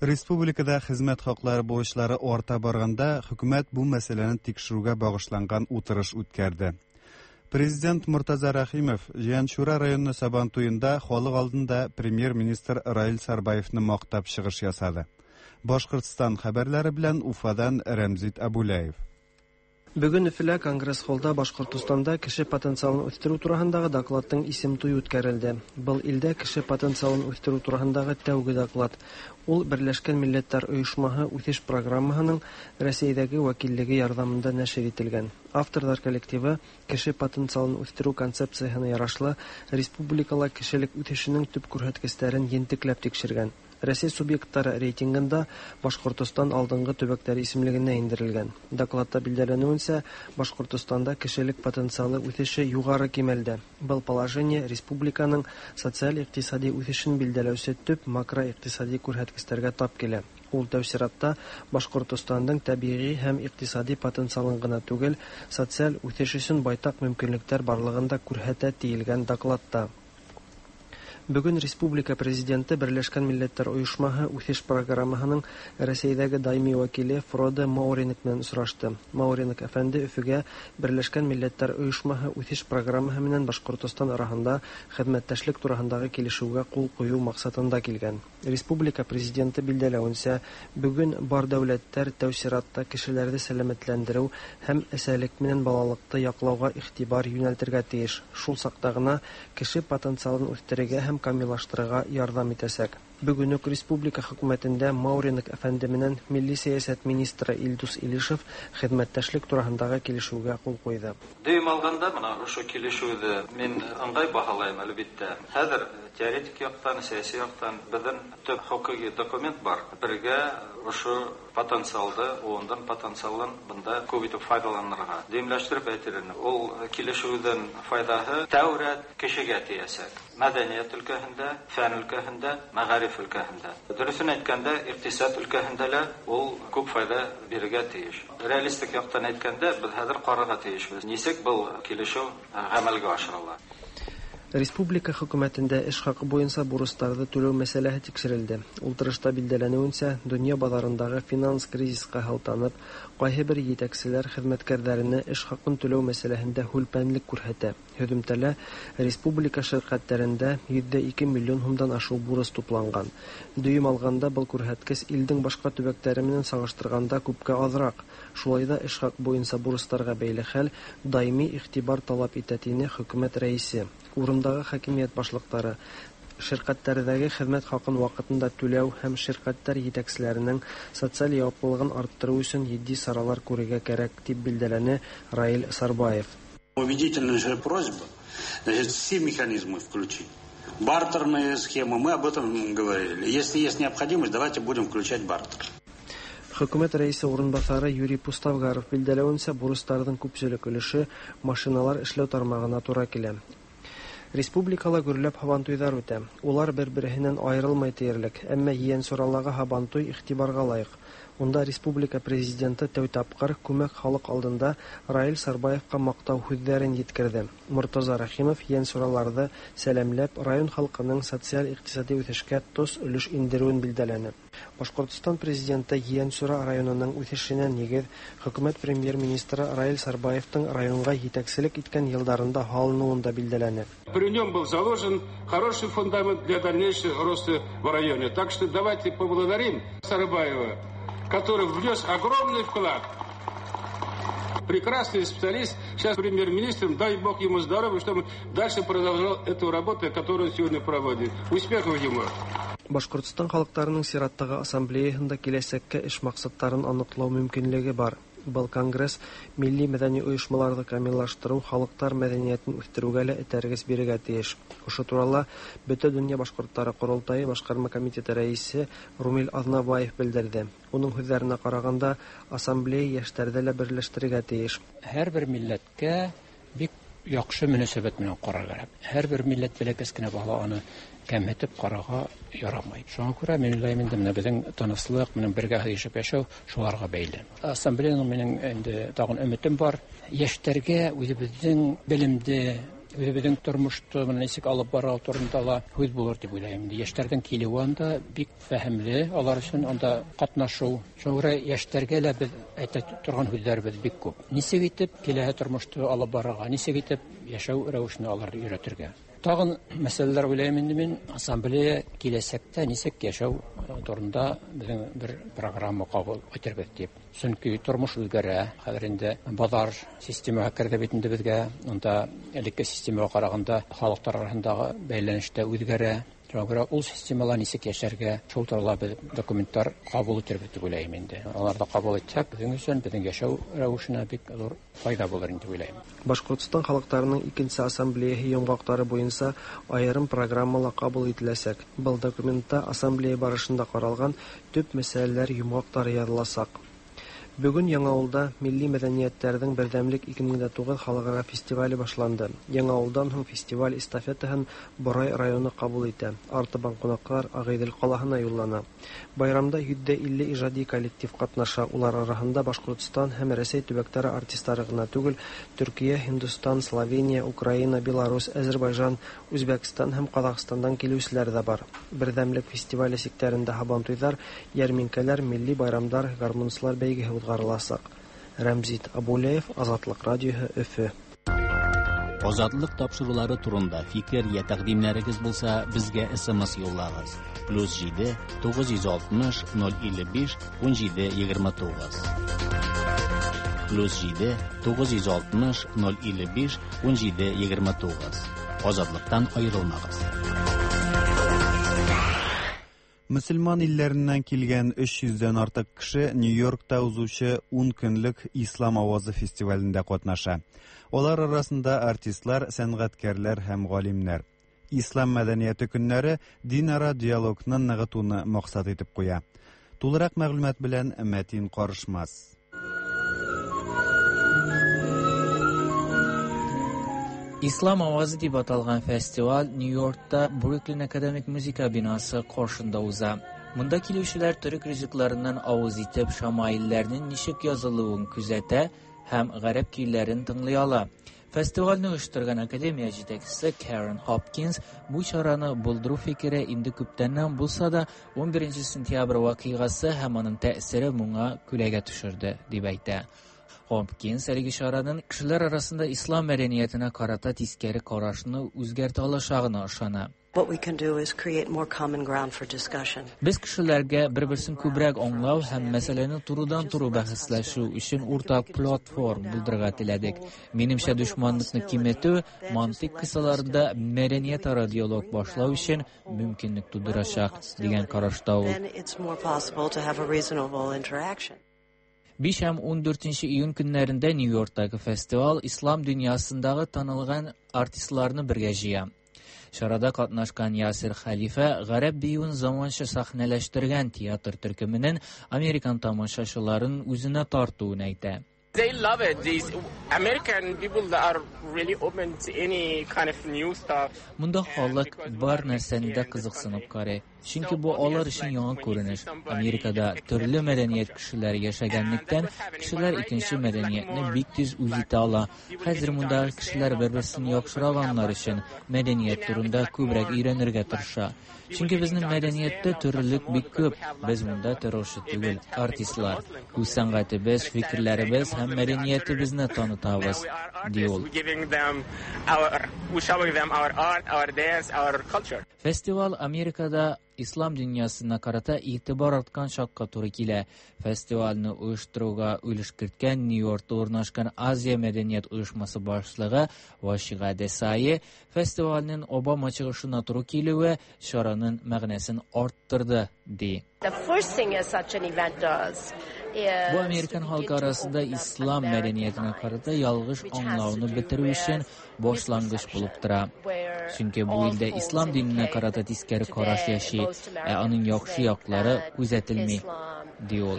Республикада хезмәт хаклары бурычлары арта барганда, хөкүмәт бу мәсьәләне тикшерүгә багышланган утырыш үткәрде. Президент Мортаза Рәхимов Җианчура районы Сабантуенда халык алдында премьер-министр Раил Сарбаевны мактап чыгыш ясады. Башкортстан хәбәрләре белән Уфадан Рәмзит Абуляев. Бүген Өфөлә Конгресс-холлда Башкортостанда кеше потенциалын үстерү тураһындагы докладның исем туе үткәрелде. Был илдә кеше потенциалын үстерү тураһындагы тәүге доклад. Ул Берләшкән Милләтләр Оешмаһы үсеш программаһының Рәсәйдәге вәкиллеге ярҙамында нәшер ителгән. Авторҙар коллективы кеше потенциалын үҫтерү концепцияһына ярашлы республикала кешелек үҫешенең төп күрһәткестәрен ентекләп тикшергән. Рәсәй субъектлары рейтингында Башкортостан алдынгы төбәктәре исемлегенә индерелгән. Докладта билдәләнүенсә, Башкортостанда кешелек потенциалы үҫеше югары кимәлдә. Был положение республиканың социаль-икътисади үҫешен билдәләүсе төп макроикътисади күрһәткестәргә тап килә. Ул тәү сиратта Башкортостандың тәбиғи һәм икътисади потенциалын гына түгел, социаль үҫеш өсөн байтаҡ мөмкинлектәр барлығын да күрһәтә тиелгән докладта. Бүген республика президенты Берләшкән Милләтләр Оешмаһы үҫеш программаһының Рәсәйҙәге даими вәкиле Фроде Мауринек менән осрашты. Мауринек әфәнде Өфөгә Берләшкән Милләтләр Оешмаһы үҫеш программаһы менән Башкортостан араһында хеҙмәттәшлек тураһындағы килешеүгә ҡул ҡуйыу маҡсатында килгән. Республика президенты билдәләүенсә, бөгөн бар дәүләттәр тәү сиратта кешеләрҙе сәләмәтләндереү һәм әсәлек менән балалыҡты яҡлауға иғтибар йүнәлтергә тейеш. Шул саҡта ғына кеше потенциалын үҫтерергә һәм камиллаштырырға ярҙам итәсәк. Бөгөн үк республика хөкүмәтендә Мауринек әфәнде менән милли сәйәсәт министры Илдус Илишев хеҙмәттәшлек тураһындағы килешеүгә ҡул ҡуйҙы. Дөйөм алғанда бына ошо килешеүҙе мин ыңғай баһалайым, әлбиттә. Хәҙер теоретик яҡтан, сәйәси яҡтан беҙҙең төп хоҡуҡи документ бар. Бергә ошо потенциалды, ундың потенциалын бында күп итеп файҙаланырға. Дөйөмләштереп әйтер инем, ул килешеүҙең файҙаһы тәүрәт кешегә тейәсәк. Мәҙәниәт өлкәһендә, фән өлкәһендә, мәғариф өлкәһендә. Дөрөҫөн әйткәндә, иҡтисад өлкәһендә лә ул күп файҙа бирергә тейеш. Реалистик яҡтан әйткәндә, беҙ хәҙер ҡарарға тейешбеҙ. Нисек был килешеү ғәмәлгә ашырыла? Республика хөкүмәтендә эш хаҡы буйынса бурыстарҙы түләү мәсьәләһе тикшерелде. Ултырышта билдәләнеүенсә, донъя баҙарындағы финанс кризисҡа һылтанып, ҡайһы бер етәкселәр хеҙмәткәрҙәренә эш хаҡын түләү мәсьәләһендә һүлпәнлек күрһәтә. Һөҙөмтәлә республика ширҡәттәрендә 102 миллион һумдан ашыу бурыс тупланған. Дөйөм алғанда был күрһәткес илдең башҡа төбәктәре менән сағыштырғанда күпкә аҙыраҡ. Шулай ҙа эш хаҡ буйынса бурыстарға бәйле хәл даими иғтибар талап итә, тине хөкүмәт рәйесе. Урындағы хакимиәт башлыҡтары ширҡәттәрҙәге хеҙмәт хаҡын ваҡытында түләү һәм ширҡәттәр етәкселәренең социаль яуаплылығын арттырыу өсөн етди саралар күрергә кәрәк, тип билдәләне Раил Сарбаев. Убедительная просьба, значит, все механизмы включить. Бартерные схемы, мы об этом говорили. Если есть необходимость, давайте будем включать бартер. Хөкүмәт рәисе урынбаҫары Юрий Пуставгаров билдәләүенсә, бурыстарҙың күпселек өлөшө машиналар эшләү тармағына тура килә. Республикала гөрләп һабантуйлар үтә. Улар бер-береһеннән аерылмай диярлек, әмма Ейәнсуралағы һабантуй игътибарга лаек. Унда республика президенты тәү тапкыр күмәк халык алдында Раил Сарбаевка мактау һүҙҙәрен еткерҙе. Мортаза Рәхимов ейәнсураларҙы сәләмләп, район халҡының социаль-иҡтисади үҫешкә тос өлөш индереүен билдәләне. Башҡортостан президенты Ейәнсура районының үҫешенә нигеҙ хөкүмәт премьер-министры Раил Сарбаевтың районға етәкселек иткән йылдарында һалыныуын да билдәләне. При нем был заложен хороший фундамент для дальнейшего роста в районе. Так что давайте поблагодарим Сарбаева, который внес огромный вклад. Прекрасный специалист, сейчас премьер-министром, дай бог ему здоровья, чтобы дальше продолжал эту работу, которую сегодня проводит. Успехов ему! Башҡортостан халыҡтарының сираттағы ассамблеяһында киләсәккә эш маҡсаттарын аныҡлау мөмкинлеге бар. Был конгресс милли мәҙәни ойошмаларҙы камиллаштырыу, халыҡтар мәҙәниәтен үҫтереүгә лә этәргес бирергә тейеш. Ошо турала Бөтә донъя башҡорттары ҡоролтайы башҡарма комитеты рәйесе Румил Аҙнабаев белдерҙе. Уның һүҙҙәренә ҡарағанда, ассамблея йәштәрҙе лә берләштерергә тейеш. Һәр бер милләткә бик яҡшы мөнәсәбәт менән ҡарар кәрәк. Һәр бер милләт бәләкәс кенә бала аны кәмһетеп ҡарарға ярамай. Шуңа күрә мин уйлайым инде, менә беҙҙең тыныслыҡ менән бергә һыйышып йәшәү шуларға бәйле. Ассамблеяның минең инде тағын өмөтөм бар. Йәштәргә үҙебеҙҙең белемде, үҙебеҙҙең тормошто менән нисек алып барыу турында ла һүҙ булыр тип уйлайым. Инде йәштәрҙең килеүе анда бик фәһемле, алар өсөн анда ҡатнашыу. Шуңа күрә йәштәргә лә беҙ әйтә торған һүҙҙәребеҙ бик күп. Нисек итеп киләһе тормошто алып барырға, нисек итеп йәшәү рәүешен аларҙы өйрәтергә. Тағын мәсьәләләр уйлайым инде мин, ассамблея киләсәктә нисек йәшәү турында беҙҙең бер программа ҡабул итербеҙ тип. Сөнки тормош үҙгәрә, хәҙер инде баҙар системаһы керҙе бит инде беҙгә. Унда элекке системаға ҡарағанда халыҡтар араһындағы бәйләнеш тә үҙгәрә. Шуңа күрә ул системала нисек йәшәргә, шул турала беҙ документтар ҡабул итербеҙ тип уйлайым инде. Аларҙы ҡабул итһәк, беҙҙең өсөн, беҙҙең йәшәү рәүешенә бик ҙур файҙа булыр инде уйлайым. Башҡортостан халыҡтарының икенсе ассамблеяһы йомғаҡтары буйынса айырым программала ҡабул ителәсәк. Был документта ассамблея барышында ҡаралған төп мәсьәләләр йомғаҡтары яҙыласаҡ. Бөгөн Яңауылда милли мәҙәниәттәрҙең берҙәмлек 2009 халыҡ-ара фестивале башланды. Яңауылдан һуң фестиваль эстафетаһын Борай районы ҡабул итә. Артабан ҡунаҡтар Ағиҙел ҡалаһына юллана. Байрамда 150 ижади коллектив ҡатнаша. Улар араһында Башҡортостан һәм Рәсәй төбәктәре артистары ғына түгел, Төркиә, Һиндостан, Словения, Украина, Беларусь, Азербайжан, Үзбәкстан һәм Ҡаҙағстандан килеүселәр ҙә бар. Берҙәмлек фестивале сиктәрендә һабантуйҙар, йәрминкәләр, милли байрамдар, гармунсылар бәйгеһе уҙғарыласаҡ. Рәмзит Абулеев, Азатлыҡ радиоһы, Өфө. Азатлык тапшырулары турында фикер я тәкъдимнәрегез булса, безгә SMS юллагыз. +7 960 055 17 29. +7 960 055 17 29. Азатлыктан аерылмагыз. Мөселман илләреннән килгән 300-дән артык кеше Нью-Йоркта узучы 10 көнлек Ислам авазы фестивалендә катнаша. Алар арасында артистлар, сәнгатькәрләр һәм галимнәр. Ислам мәдәнияте көннәре динара диалогны ныгытуны максат итеп куя. Тулырак мәгълүмат белән Мәтин Карышмас. Ислам авазы дип аталган фестиваль Нью-Йоркта Бруклин академик музыка бинасы каршында уза. Монда килүчеләр төрек ризыкларыннан авыз итеп, шамаилләрнең ничек язылуын күзәтә һәм гарәп көйләрен тыңлый ала. Фестивальне оештырган академия җитәкчесе Карен Хопкинс бу чараны булдыру фикере инде күптәннән булса да, 11 сентябрь вакыйгасы һәм аның тәэсире моңа күләгә төшерде, дип әйтә. Хопкинс әлеге чараның кешеләр арасында ислам мәдәниятенә карата тискәре карашны үзгәртә алачагына ышана. What we can do is create more common ground for discussion. Без кешеләргә бер-берсен күбрәк аңлау һәм мәсьәләне турыдан-туры бәхәсләшү өчен уртак платформ булдырырга теләдек. Минемчә, дошманлыкны киметү мантыйк кысаларында мәдәниятара диалог башлау өчен мөмкинлек тудырачак, дигән карашта ул. Then it's more possible to have a reasonable interaction. 5 һәм 14 июнь көннәрендә Нью-Йорктагы фестиваль ислам дөньясындагы танылган артистларны бергә җыя. Чарада катнашкан Ясир Халифа гарәп биюен заманча сәхнәләштергән театр төркеменең американ тамашачыларын үзенә тартуын әйтә. They love it. These American people are really open to any kind of new stuff. Монда халык бар нәрсәне дә кызыксынып карый. Чөнки бу алар өчен яңа күренеш. Америкада төрле мәдәният кешеләре яшәгәнлектән, кешеләр икенче мәдәниятне бик тиз үз итә ала. Хәзер мондагы кешеләр бер-берсен яхшырак аңлар өчен мәдәният турында күбрәк өйрәнергә тырыша. Чөнки безнең мәдәнияттә төрлелек бик күп. Без монда террорчы түгел, артистлар. Үз сәнгатебез, фикерләребез һәм мәдәниятебезне танытабыз, ди ул. Фестиваль Америкада ислам дөньясына карата игътибар арткан чакка туры килә. Фестивальне оештыруга өлеш керткән Нью-Йоркта урнашкан Азия мәдәният оешмасы башлыгы Вашига Десаи фестивальнең Обама чыгышына туры килүе чараның мәгънәсен арттырды, ди. Бу американ халкы арасында ислам мәдәниятенә карата ялгыш аңлауны бетерү өчен башлангыч булып тора. Чөнки бу илдә ислам диненә карата тискәре караш яши, ә аның яхшы яклары күзәтелми, ди ул.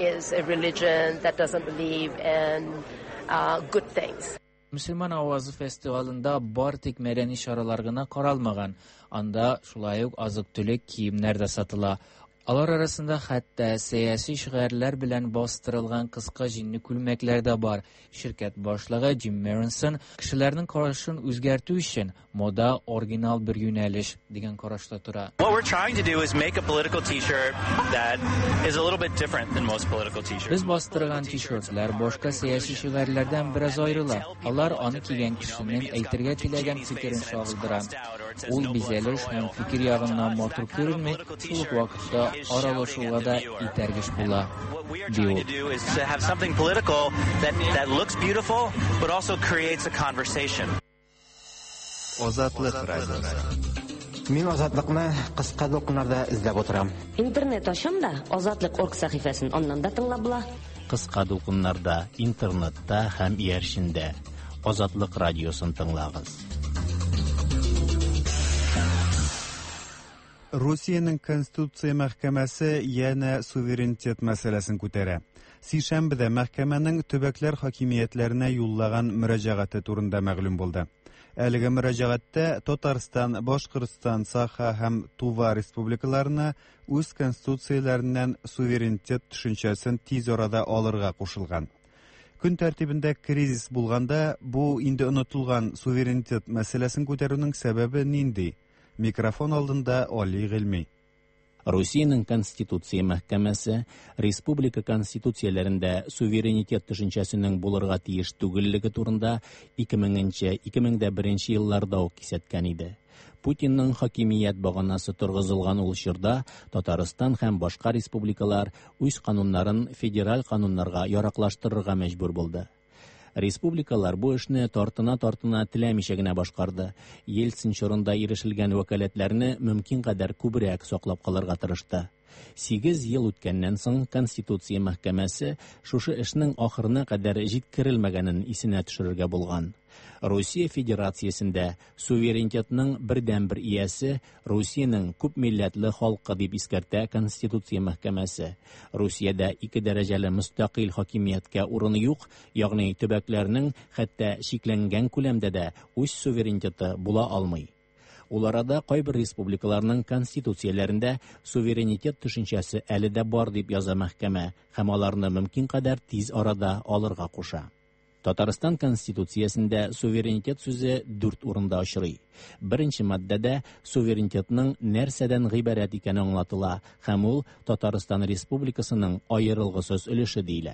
Мөселман авазы фестивалендә бар тик мәдәни чаралар гына каралмаган. Анда шулай ук азык-төлек, киемнәр дә сатыла. Алар арасында хәтта сәяси шигарьләр белән бастырылган кыска җиңле күлмәкләр дә бар. Ширкәт башлыгы Джим Меринсон кешеләрнең карашын үзгәртү өчен мода оригинал бер юнәлеш дигән карашта тора. Без бастырган t-ширтлар башка сәяси шигарьләрдән бераз аерыла. Алар аны кигән кешенең әйтергә теләгән фикерен чагылдыра. Ул бизәлеш һәм фикер ягыннан матур күренми, шул ук вакытта аралашуга да этәргеч була, ди ул. Азатлык радиосы. Мин Азатлыкны кыска дулкыннарда эзләп утырам. Интернет ачам да, Азатлык орг сәхифәсен аннан да тыңлап була. Кыска дулкыннарда, интернетта һәм иярчендә. Азатлык радиосын тыңлагыз. Русиянең Конституция мәхкәмәсе янә суверенитет мәсьәләсен күтәрә. Сишәмбедә мәхкәмәнең төбәкләр хакимиятләренә юллаган мөрәҗәгате турында мәгълүм булды. Әлеге мөрәҗәгатьтә Татарстан, Башкортстан, Саха һәм Тува республикаларына үз конституцияләреннән суверенитет төшенчәсен тиз арада алырга кушылган. Көн тәртибендә кризис булганда, бу инде онытылган суверенитет мәсьәләсен күтәрүнең сәбәбе нинди? Микрофон алдында Али Гыйльми. Русиянең Конституция мәхкәмәсе республика конституцияләрендә суверенитет төшенчәсенең булырга тиеш түгеллеге турында 2000-2001 елларда ук кисәткән иде. Путинның хакимият баганасы торгызылган ул чорда Татарстан һәм башка республикалар үз кануннарын федераль кануннарга яраклаштырырга мәҗбүр булды. Республикалар бу эшне тартына-тартына теләмичә генә башкарды. Ельцин чорында ирешелгән вәкаләтләрне мөмкин кадәр күбрәк саклап калырга тырышты. 8 ел үткәннән соң Конституция мәхкәмәсе шушы эшнең ахырына кадәр җиткерелмәгәнен исенә төшерергә булган. Русия Федерациясендә суверенитетның бердәнбер иясе Русиянең күп милләтле халкы дип искәртә Конституция мәхкәмәсе. Русиядә ике дәрәҗәле мөстәкыйль хакимияткә урын юк, ягъни төбәкләрнең хәтта чикләнгән күләмдә дә үз суверенитеты була алмый. Ул арада кайбер республикаларның конституцияләрендә суверенитет төшенчәсе әле дә бар дип яза мәхкәмә һәм аларны мөмкин кадәр тиз арада алырга куша. Татарстан Конституциясендә суверенитет сүзе 4 урында очрый. Беренче маддәдә суверенитетның нәрсәдән гыйбарәт икәне аңлатыла һәм ул Татарстан Республикасының аерылгысыз өлеше диелә.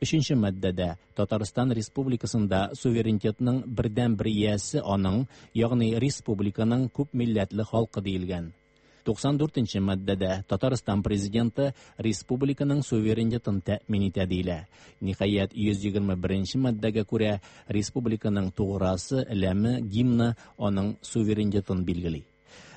Өченче маддәдә Татарстан Республикасында суверенитетның бердәнбер иясе аның, ягъни республиканың күп милләтле халкы диелгән. 94 маддәдә Татарстан президенты республиканың суверенитетын тәэмин итә диелә. Ниһаять, 121 маддәгә күрә республиканың туграсы, ләме, гимны аның суверенитетын билгели.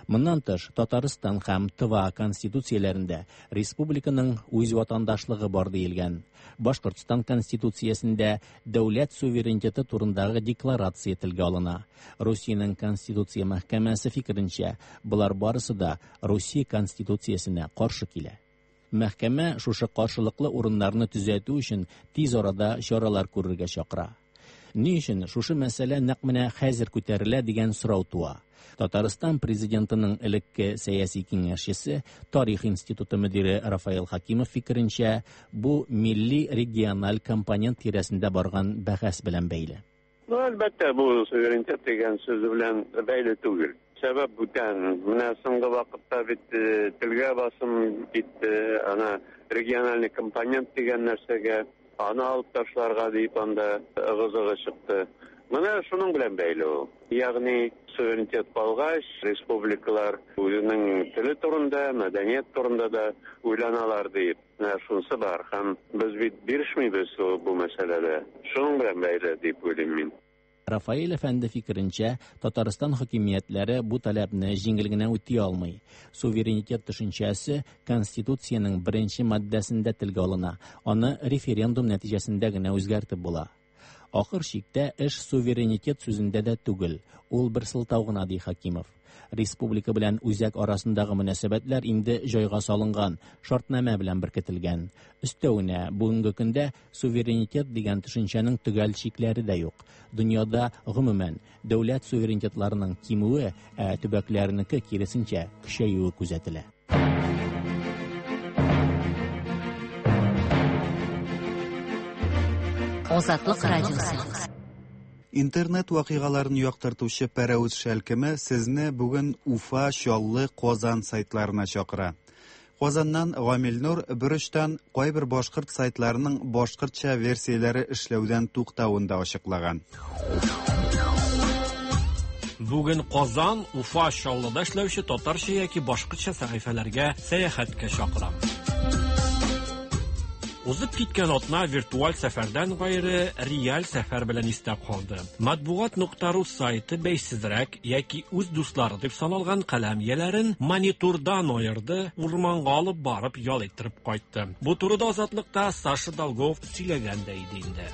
Моннан тыш, Татарстан һәм Тыва конституцияләрендә республиканың үз ватандашлыгы бар диелгән. Башкортстан конституциясендә дәүләт суверенитеты турындагы декларация телгә алына. Русиянең Конституция мәхкәмәсе фикеренчә, болар барысы да Русия конституциясенә каршы килә. Мәхкәмә шушы каршылыклы урыннарны төзәтү өчен тиз арада чаралар күрергә чакыра. Ни өчен шушы мәсьәлә нәкъ менә хәзер күтәрелә дигән сорау туа. Татарстан президентының элекке сәяси киңәшчесе, Тарих институты мөдире Рафаэл Хакимов фикеренчә, бу милли региональ компонент тирәсендә барган бәхәс белән бәйле. Ну, әлбәттә, бу суверенитет дигән сүз белән бәйле түгел. Сәбәп бүтән. Менә соңгы вакытта бит э, телгә басым китте, ана региональный компонент дигән нәрсәгә аны алып ташларга дип анда ыгы-зыгы чыкты. Менә шуның белән бәйле ул. Ягъни суверенитет калгач, республикалар үзенең теле турында, мәдәният турында да уйланалар дип. Менә шунысы бар. Һәм без бит бирешмибез бу мәсьәләдә. Шуның белән бәйле дип уйлыйм мин. Рафаэль әфәнде фикеренчә, Татарстан хакимиятләре бу таләпне җиңел генә үти алмый. Суверенитет төшенчәсе Конституциянең беренче маддәсендә телгә алына, аны референдум нәтиҗәсендә генә үзгәртеп була. Ахыр чиктә эш суверенитет сүзендә дә түгел, ул бер сылтау гына, ди Хакимов. Республика белән үзәк арасындагы мөнәсәбәтләр инде җайга салынган, шартнамә белән беркетелгән. Өстәвенә, бүгенге көндә суверенитет дигән төшенчәнең төгәл чикләре дә юк. Дөньяда, гомумән, дәүләт суверенитетларының кимүе, ә төбәкләрнеке, киресенчә, көчәюе күзәтелә. Азатлык радиосы. Интернет вакыйгаларын яктыртучы Пәрәвез шәлкеме сезне бүген Уфа, Чаллы, Казан сайтларына чакыра. Казаннан Гамил Нур берочтан кайбер башкорт сайтларының башкортча версияләре эшләүдән туктавын да ачыклаган. Бүген Казан, Уфа, Чаллыда эшләүче татарча яки башкортча сәхифәләргә сәяхәткә чакырам. Узып киткән атна виртуаль сәфәрдән гайре реаль сәфәр белән истә калды. Матбугат нокта ру сайты бәйсезрәк яки үз дуслары дип саналган каләм ияләрен монитордан аерды, урманга алып барып ял иттереп кайтты. Бу турыда Азатлыкта Саша Долгов сөйләгән дә иде инде.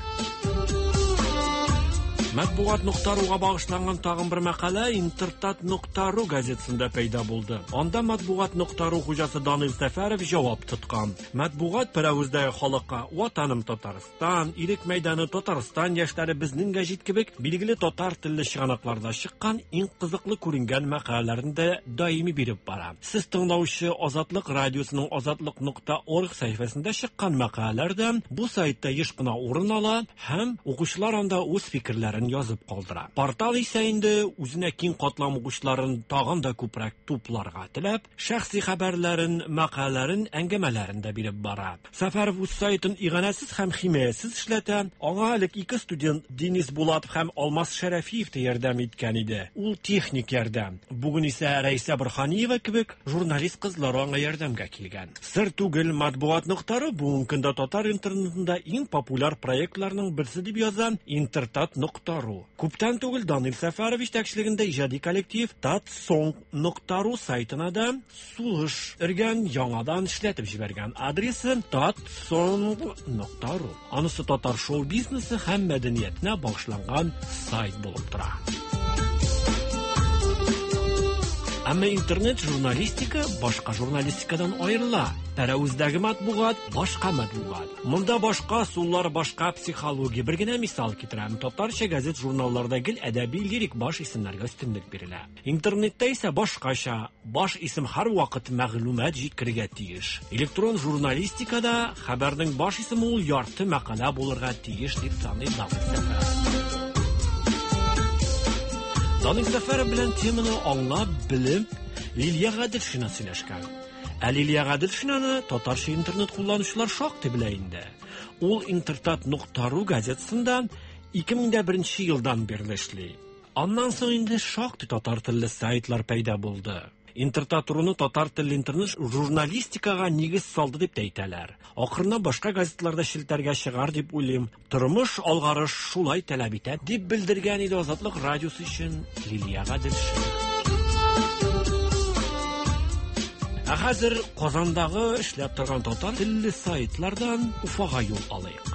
Матбугат нокта руга багышланган тагын бер мәкалә Интертат нокта ру газетасында пәйда булды. Анда Матбугат нокта ру хуҗасы Данил Сәфәров җавап тоткан. Матбугат пәрәвездәге халыкка Ватаным Татарстан, Ирек мәйданы, Татарстан яшьләре, Безнең гәҗит кебек билгеле татар телле чыганакларда чыккан иң кызыклы күренгән мәкаләләрне дә даими биреп бара. Сез тыңлаучы Азатлык радиосының азатлык нокта орг сәхифәсендә чыккан мәкаләләр дә бу сайтта еш кына урын ала һәм укучылар анда үз фикерләрен язып калдыра. Портал исә инде үзенә киң катлам укучыларын тагын да күбрәк тупларга теләп, шәхси хәбәрләрен, мәкаләләрен, әңгәмәләрен дә биреп бара. Сәфәров үз сайтын иганәсез һәм химаясез эшләтә. Аңа элек ике студент Денис Булатов һәм Алмаз Шәрәфиев тә ярдәм иткән иде. Ул техник ярдәм. Бүген исә Рәйсә Борһаниева кебек журналист кызлар аңа ярдәмгә килгән. Сер түгел, Матбугат нокта ру бүгенге көндә татар интернетында иң популяр проектларның берсе дип яза Интертат нокта ру. Күптән түгел Данил Сәфәров җитәкчелегендә иҗади коллектив Татсонг нокта ру сайтына да сулыш өргән, яңадан эшләтеп җибәргән. Адресы татсонг нокта ру. Анысы татар шоу-бизнесы һәм мәдәниятенә багышланган сайт булып тора. Әмма интернет-журналистика башка журналистикадан аерыла. Пәрәвездәге матбугат башка матбугат. Монда башка ысуллар, башка психология. Бер генә мисал китерәм. Татарча газет-журналларда гел әдәби лирик баш исемнәргә өстенлек бирелә. Интернетта исә башкача. Баш исем һәрвакыт мәгълүмат җиткерергә тиеш. Электрон журналистикада хәбәрнең баш исеме ул ярты мәкалә булырга тиеш, дип саный Данил Сәфәров. Данил Сәфәров белән теманы аңлап, белеп, Лилия Гаделшина сөйләшкән. Ә Лилия Гаделшинаны татарча интернет кулланучылар шактый белә инде. Ул Интертат нокта ру газетасында 2001 елдан бирле эшли. Аннан соң инде шактый татар телле сайтлар пәйда булды. Интертат руны татар телле интернет журналистикага нигез салды дип тә әйтәләр. Акрынлап башка газетлар да челтәргә чыгар дип уйлыйм. Тормыш алгарыш шулай таләп итә, дип белдергән иде Азатлык радиосы өчен Лилия Гаделшина. Ә хәзер Казандагы эшләп торган татар телле сайтлардан Уфага юл алыйк.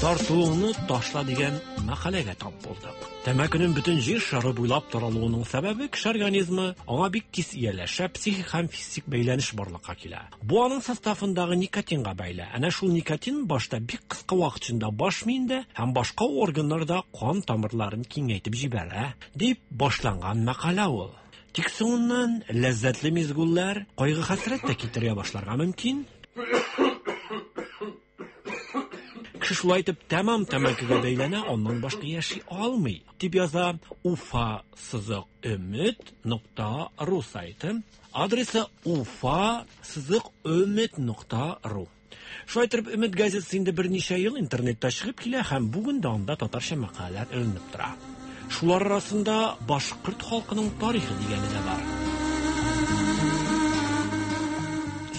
Тартуыңны ташла дигән мәкаләгә тап булдык. Тәмәкенең бөтен җир шары буйлап таралуының сәбәбе кеше организмы аңа бик тиз ияләшә, психик һәм физик бәйләнеш барлыкка килә. Бу аның составындагы никотинга бәйле. Әнә шул никотин башта бик кыска вакыт эчендә баш миендә һәм башка органнарда кан тамырларын киңәйтеп җибәрә, дип башланган мәкалә ул. Тик соңыннан ләззәтле мизгүлләр кайгы-хәсрәт тә китерә башларга мөмкин. Кеше шулай итеп тәмам тәмәкегә бәйләнә, аннан башка яши алмый, дип яза Уфа сызык өмет нокта ру сайты. Адресы Уфа сызык өмет нокта ру. Шулай итеп, Өмет газетасы инде берничә ел интернетта чыгып килә һәм бүген дә анда татарча мәкаләләр эленеп тора. Шулар арасында башкорт халкының тарихы дигәне дә бар.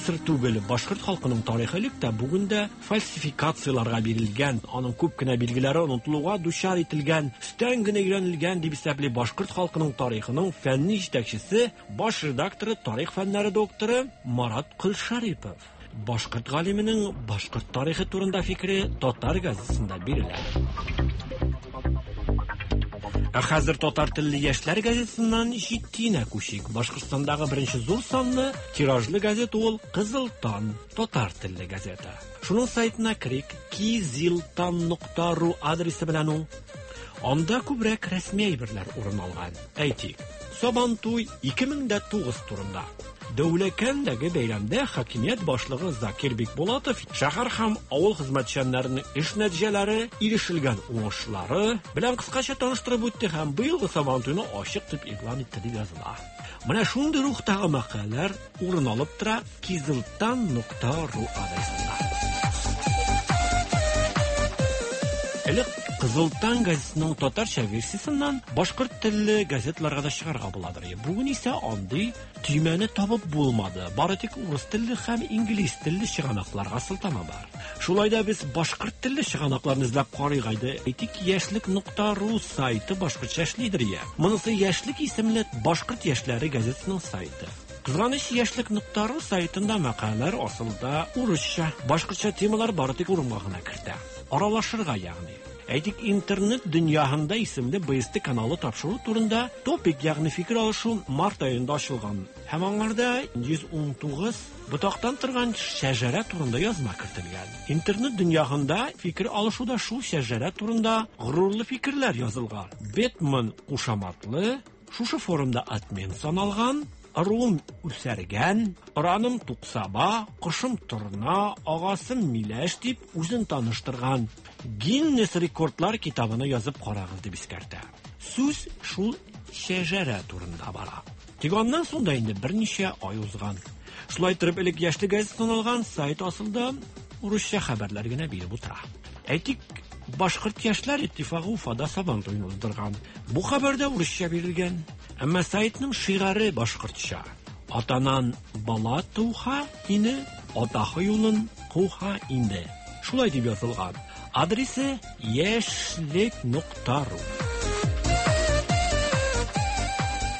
Сер түгел, башкорт халкының тарихы элек тә, бүген дә фальсификацияләргә бирелгән, аның күп кенә билгеләре онытылуга дучар ителгән, өстән генә өйрәнелгән дип исәпли башкорт халкының тарихының фәнни җитәкчесе, баш редакторы, тарих фәннәре докторы Марат Колшарипов. Башкорт галименең башкорт тарихы турында фикере татар газетасында бирелә. Ә хәзер татар телле яшьләр газетасыннан җитдиенә күчик. Башкортстандагы беренче зур санлы тиражлы газета ул Кызыл таң татар телле газета. Шуның сайтына керик, kiziltan.ru адресы белән ул. Анда күбрәк рәсми әйберләр урын алган. Әйтик, Сабантуй 2009 турында. Дәүләкәндәге бәйрәмдә хакимият башлыгы Закир Бикбулатов шәһәр һәм авыл хезмәтчәннәренең эш нәтиҗәләре, ирешелгән уңышлары белән кыскача таныштырып үтте һәм быелгы Сабантуйны ачык дип игълан итте дип языла. Менә шундый рухтагы мәкаләләр урын алып тора kiziltan.ru адресында. Элек Кызыл таң газетасының татарча версиясеннән башкорт телле газеталарга да чыгарга буладыр. Бүген исә андый төймәне табып булмады. Бары тик урыс телле һәм инглиз телле чыганакларга сылтама бар. Шулай да без башкорт телле чыганакларны эзләп карыйк әйдә. Әйтик, яшьлек.ру сайты башкортча эшлидер я. Монысы Яшьлек исемле башкорт яшьләре газетасының сайты. Кызганыч, яшьлек.ру сайтында мәкаләләр асылда урысча, башкортча темалар бары тик урынга гына кертә. Аралашырга ягъни. Әйтик, интернет дөньяһында исемле БСТ каналы тапшыру турында топик, ягъни фикер алышу март аенда ачылган. Һәм аңарда 119 ботактан торган шәҗәрә турында язма кертелгән. Интернет дөньяһында фикер алышуда шул шәҗәрә турында горурлы фикерләр язылган. Бетман кушаматлы, шушы форумда админ саналган, ыруым үсәргән, ыраным Туксаба, кошым Торна, агасым Миләш дип үзен таныштырган. Гиннес рекордлар китабына язып карагыз дип искәртә. Сүз шул шәҗәрә турында бара. Тик аннан соң да инде берничә ай узган. Шулай торып элек яшьлек газетасы саналган сайт асылда урысча хәбәрләр генә биреп утыра. Әйтик, Башкорт яшьләр иттифагы Уфада Сабан туен уздырган. Бу хәбәр дә урысча бирелгән. Әмма сайтның шигаре башкортча. Атанан бала туха ине, атахы юлын куха инде. Шулай дип язылган. Адресы яшьлек.ру.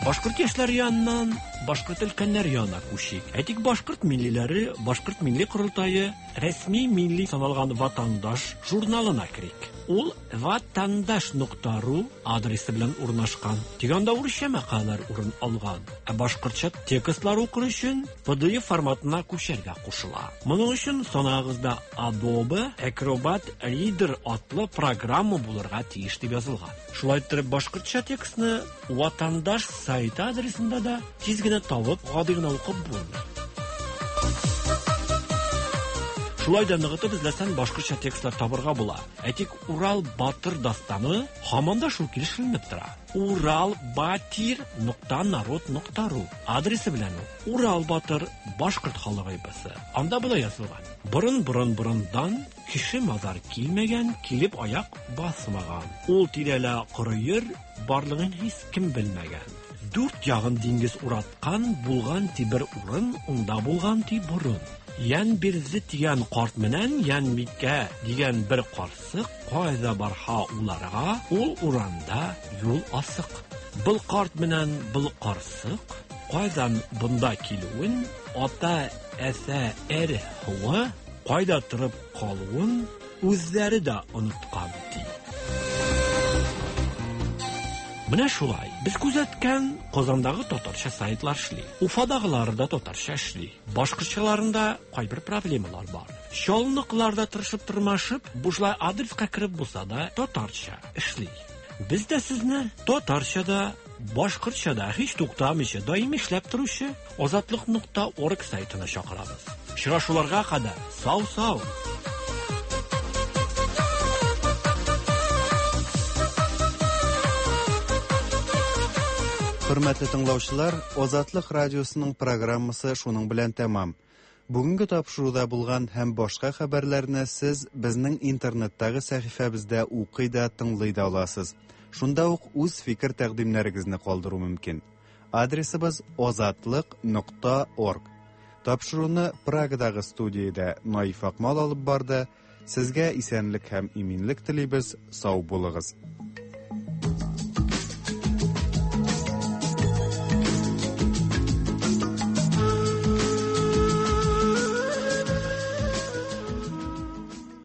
Башкорт яшьләре яныннан башкорт өлкәннәре янына күчик. Әйтик, башкорт миллиләре, башкорт милли корылтае рәсми милли саналган Ватандаш журналына керик. Ул ватандаш.ру адресы белән урнашкан. Тик анда урысча мәкаләләр урын алган. Ә башкортча текстлар укыр өчен PDF форматына күчәргә кушыла. Моның өчен санагызда Adobe Acrobat Reader атлы программа булырга тиеш дип язылган. Шулай итеп, башкортча текстны Ватандаш сайты адресында да тиз генә табып, гади генә укып булмый. Шулай да ныгытып эзләсәң, башкортча текстлар табырга була. Әйтик, Урал Батыр дастаны һаман да шул килеш эленеп тора. Уралбатир.народ.ру адресы белән ул Урал Батыр башкорт халык эпосы. Анда болай язылган: Борын-борын-борындан кеше мазар килмәгән, килеп аяк басмаган. Ул тирәлә коры ер барлыгын һич кем белмәгән. Дүрт ягын диңгез ураткан, булган ти бер урын, унда булган ти борын. Янбирзе дигән карт менән Янбикә дигән бер карсык кайда барха уларга, ул уранда юл асык. Был карт менән был карсык кайдан бунда килүен, ата әсә эр һуы кайда торып калуын үзләре дә оныткан, ди. Менә шулай, без күзәткән Казандагы татарча сайтлар эшли. Уфадагылары да татарча эшли. Башкортчаларында кайбер проблемалар бар. Чаллыныкылар да тырышып тырмашып, бушлай адреска кереп булса да татарча эшли. Без дә сезне татарча да, башкортча да һич туктамыйча даими эшләп торучы Азатлык.орг сайтына чакырабыз. Очрашуларга кадәр сау-сау! Хөрмәтле тыңлаучылар, Азатлык радиосының программасы шуның белән тәмам. Бүгенге тапшыруда булган һәм башка хәбәрләрне сез безнең интернеттагы сәхифәбездә укый да, тыңлый да аласыз. Шунда ук үз фикер-тәкъдимнәрегезне калдыру мөмкин. Адресыбыз озатлык.орг. Тапшыруны Прагадагы студиядә Наиф Акмал алып барды. Сезгә исәнлек һәм иминлек телибез. Сау булыгыз.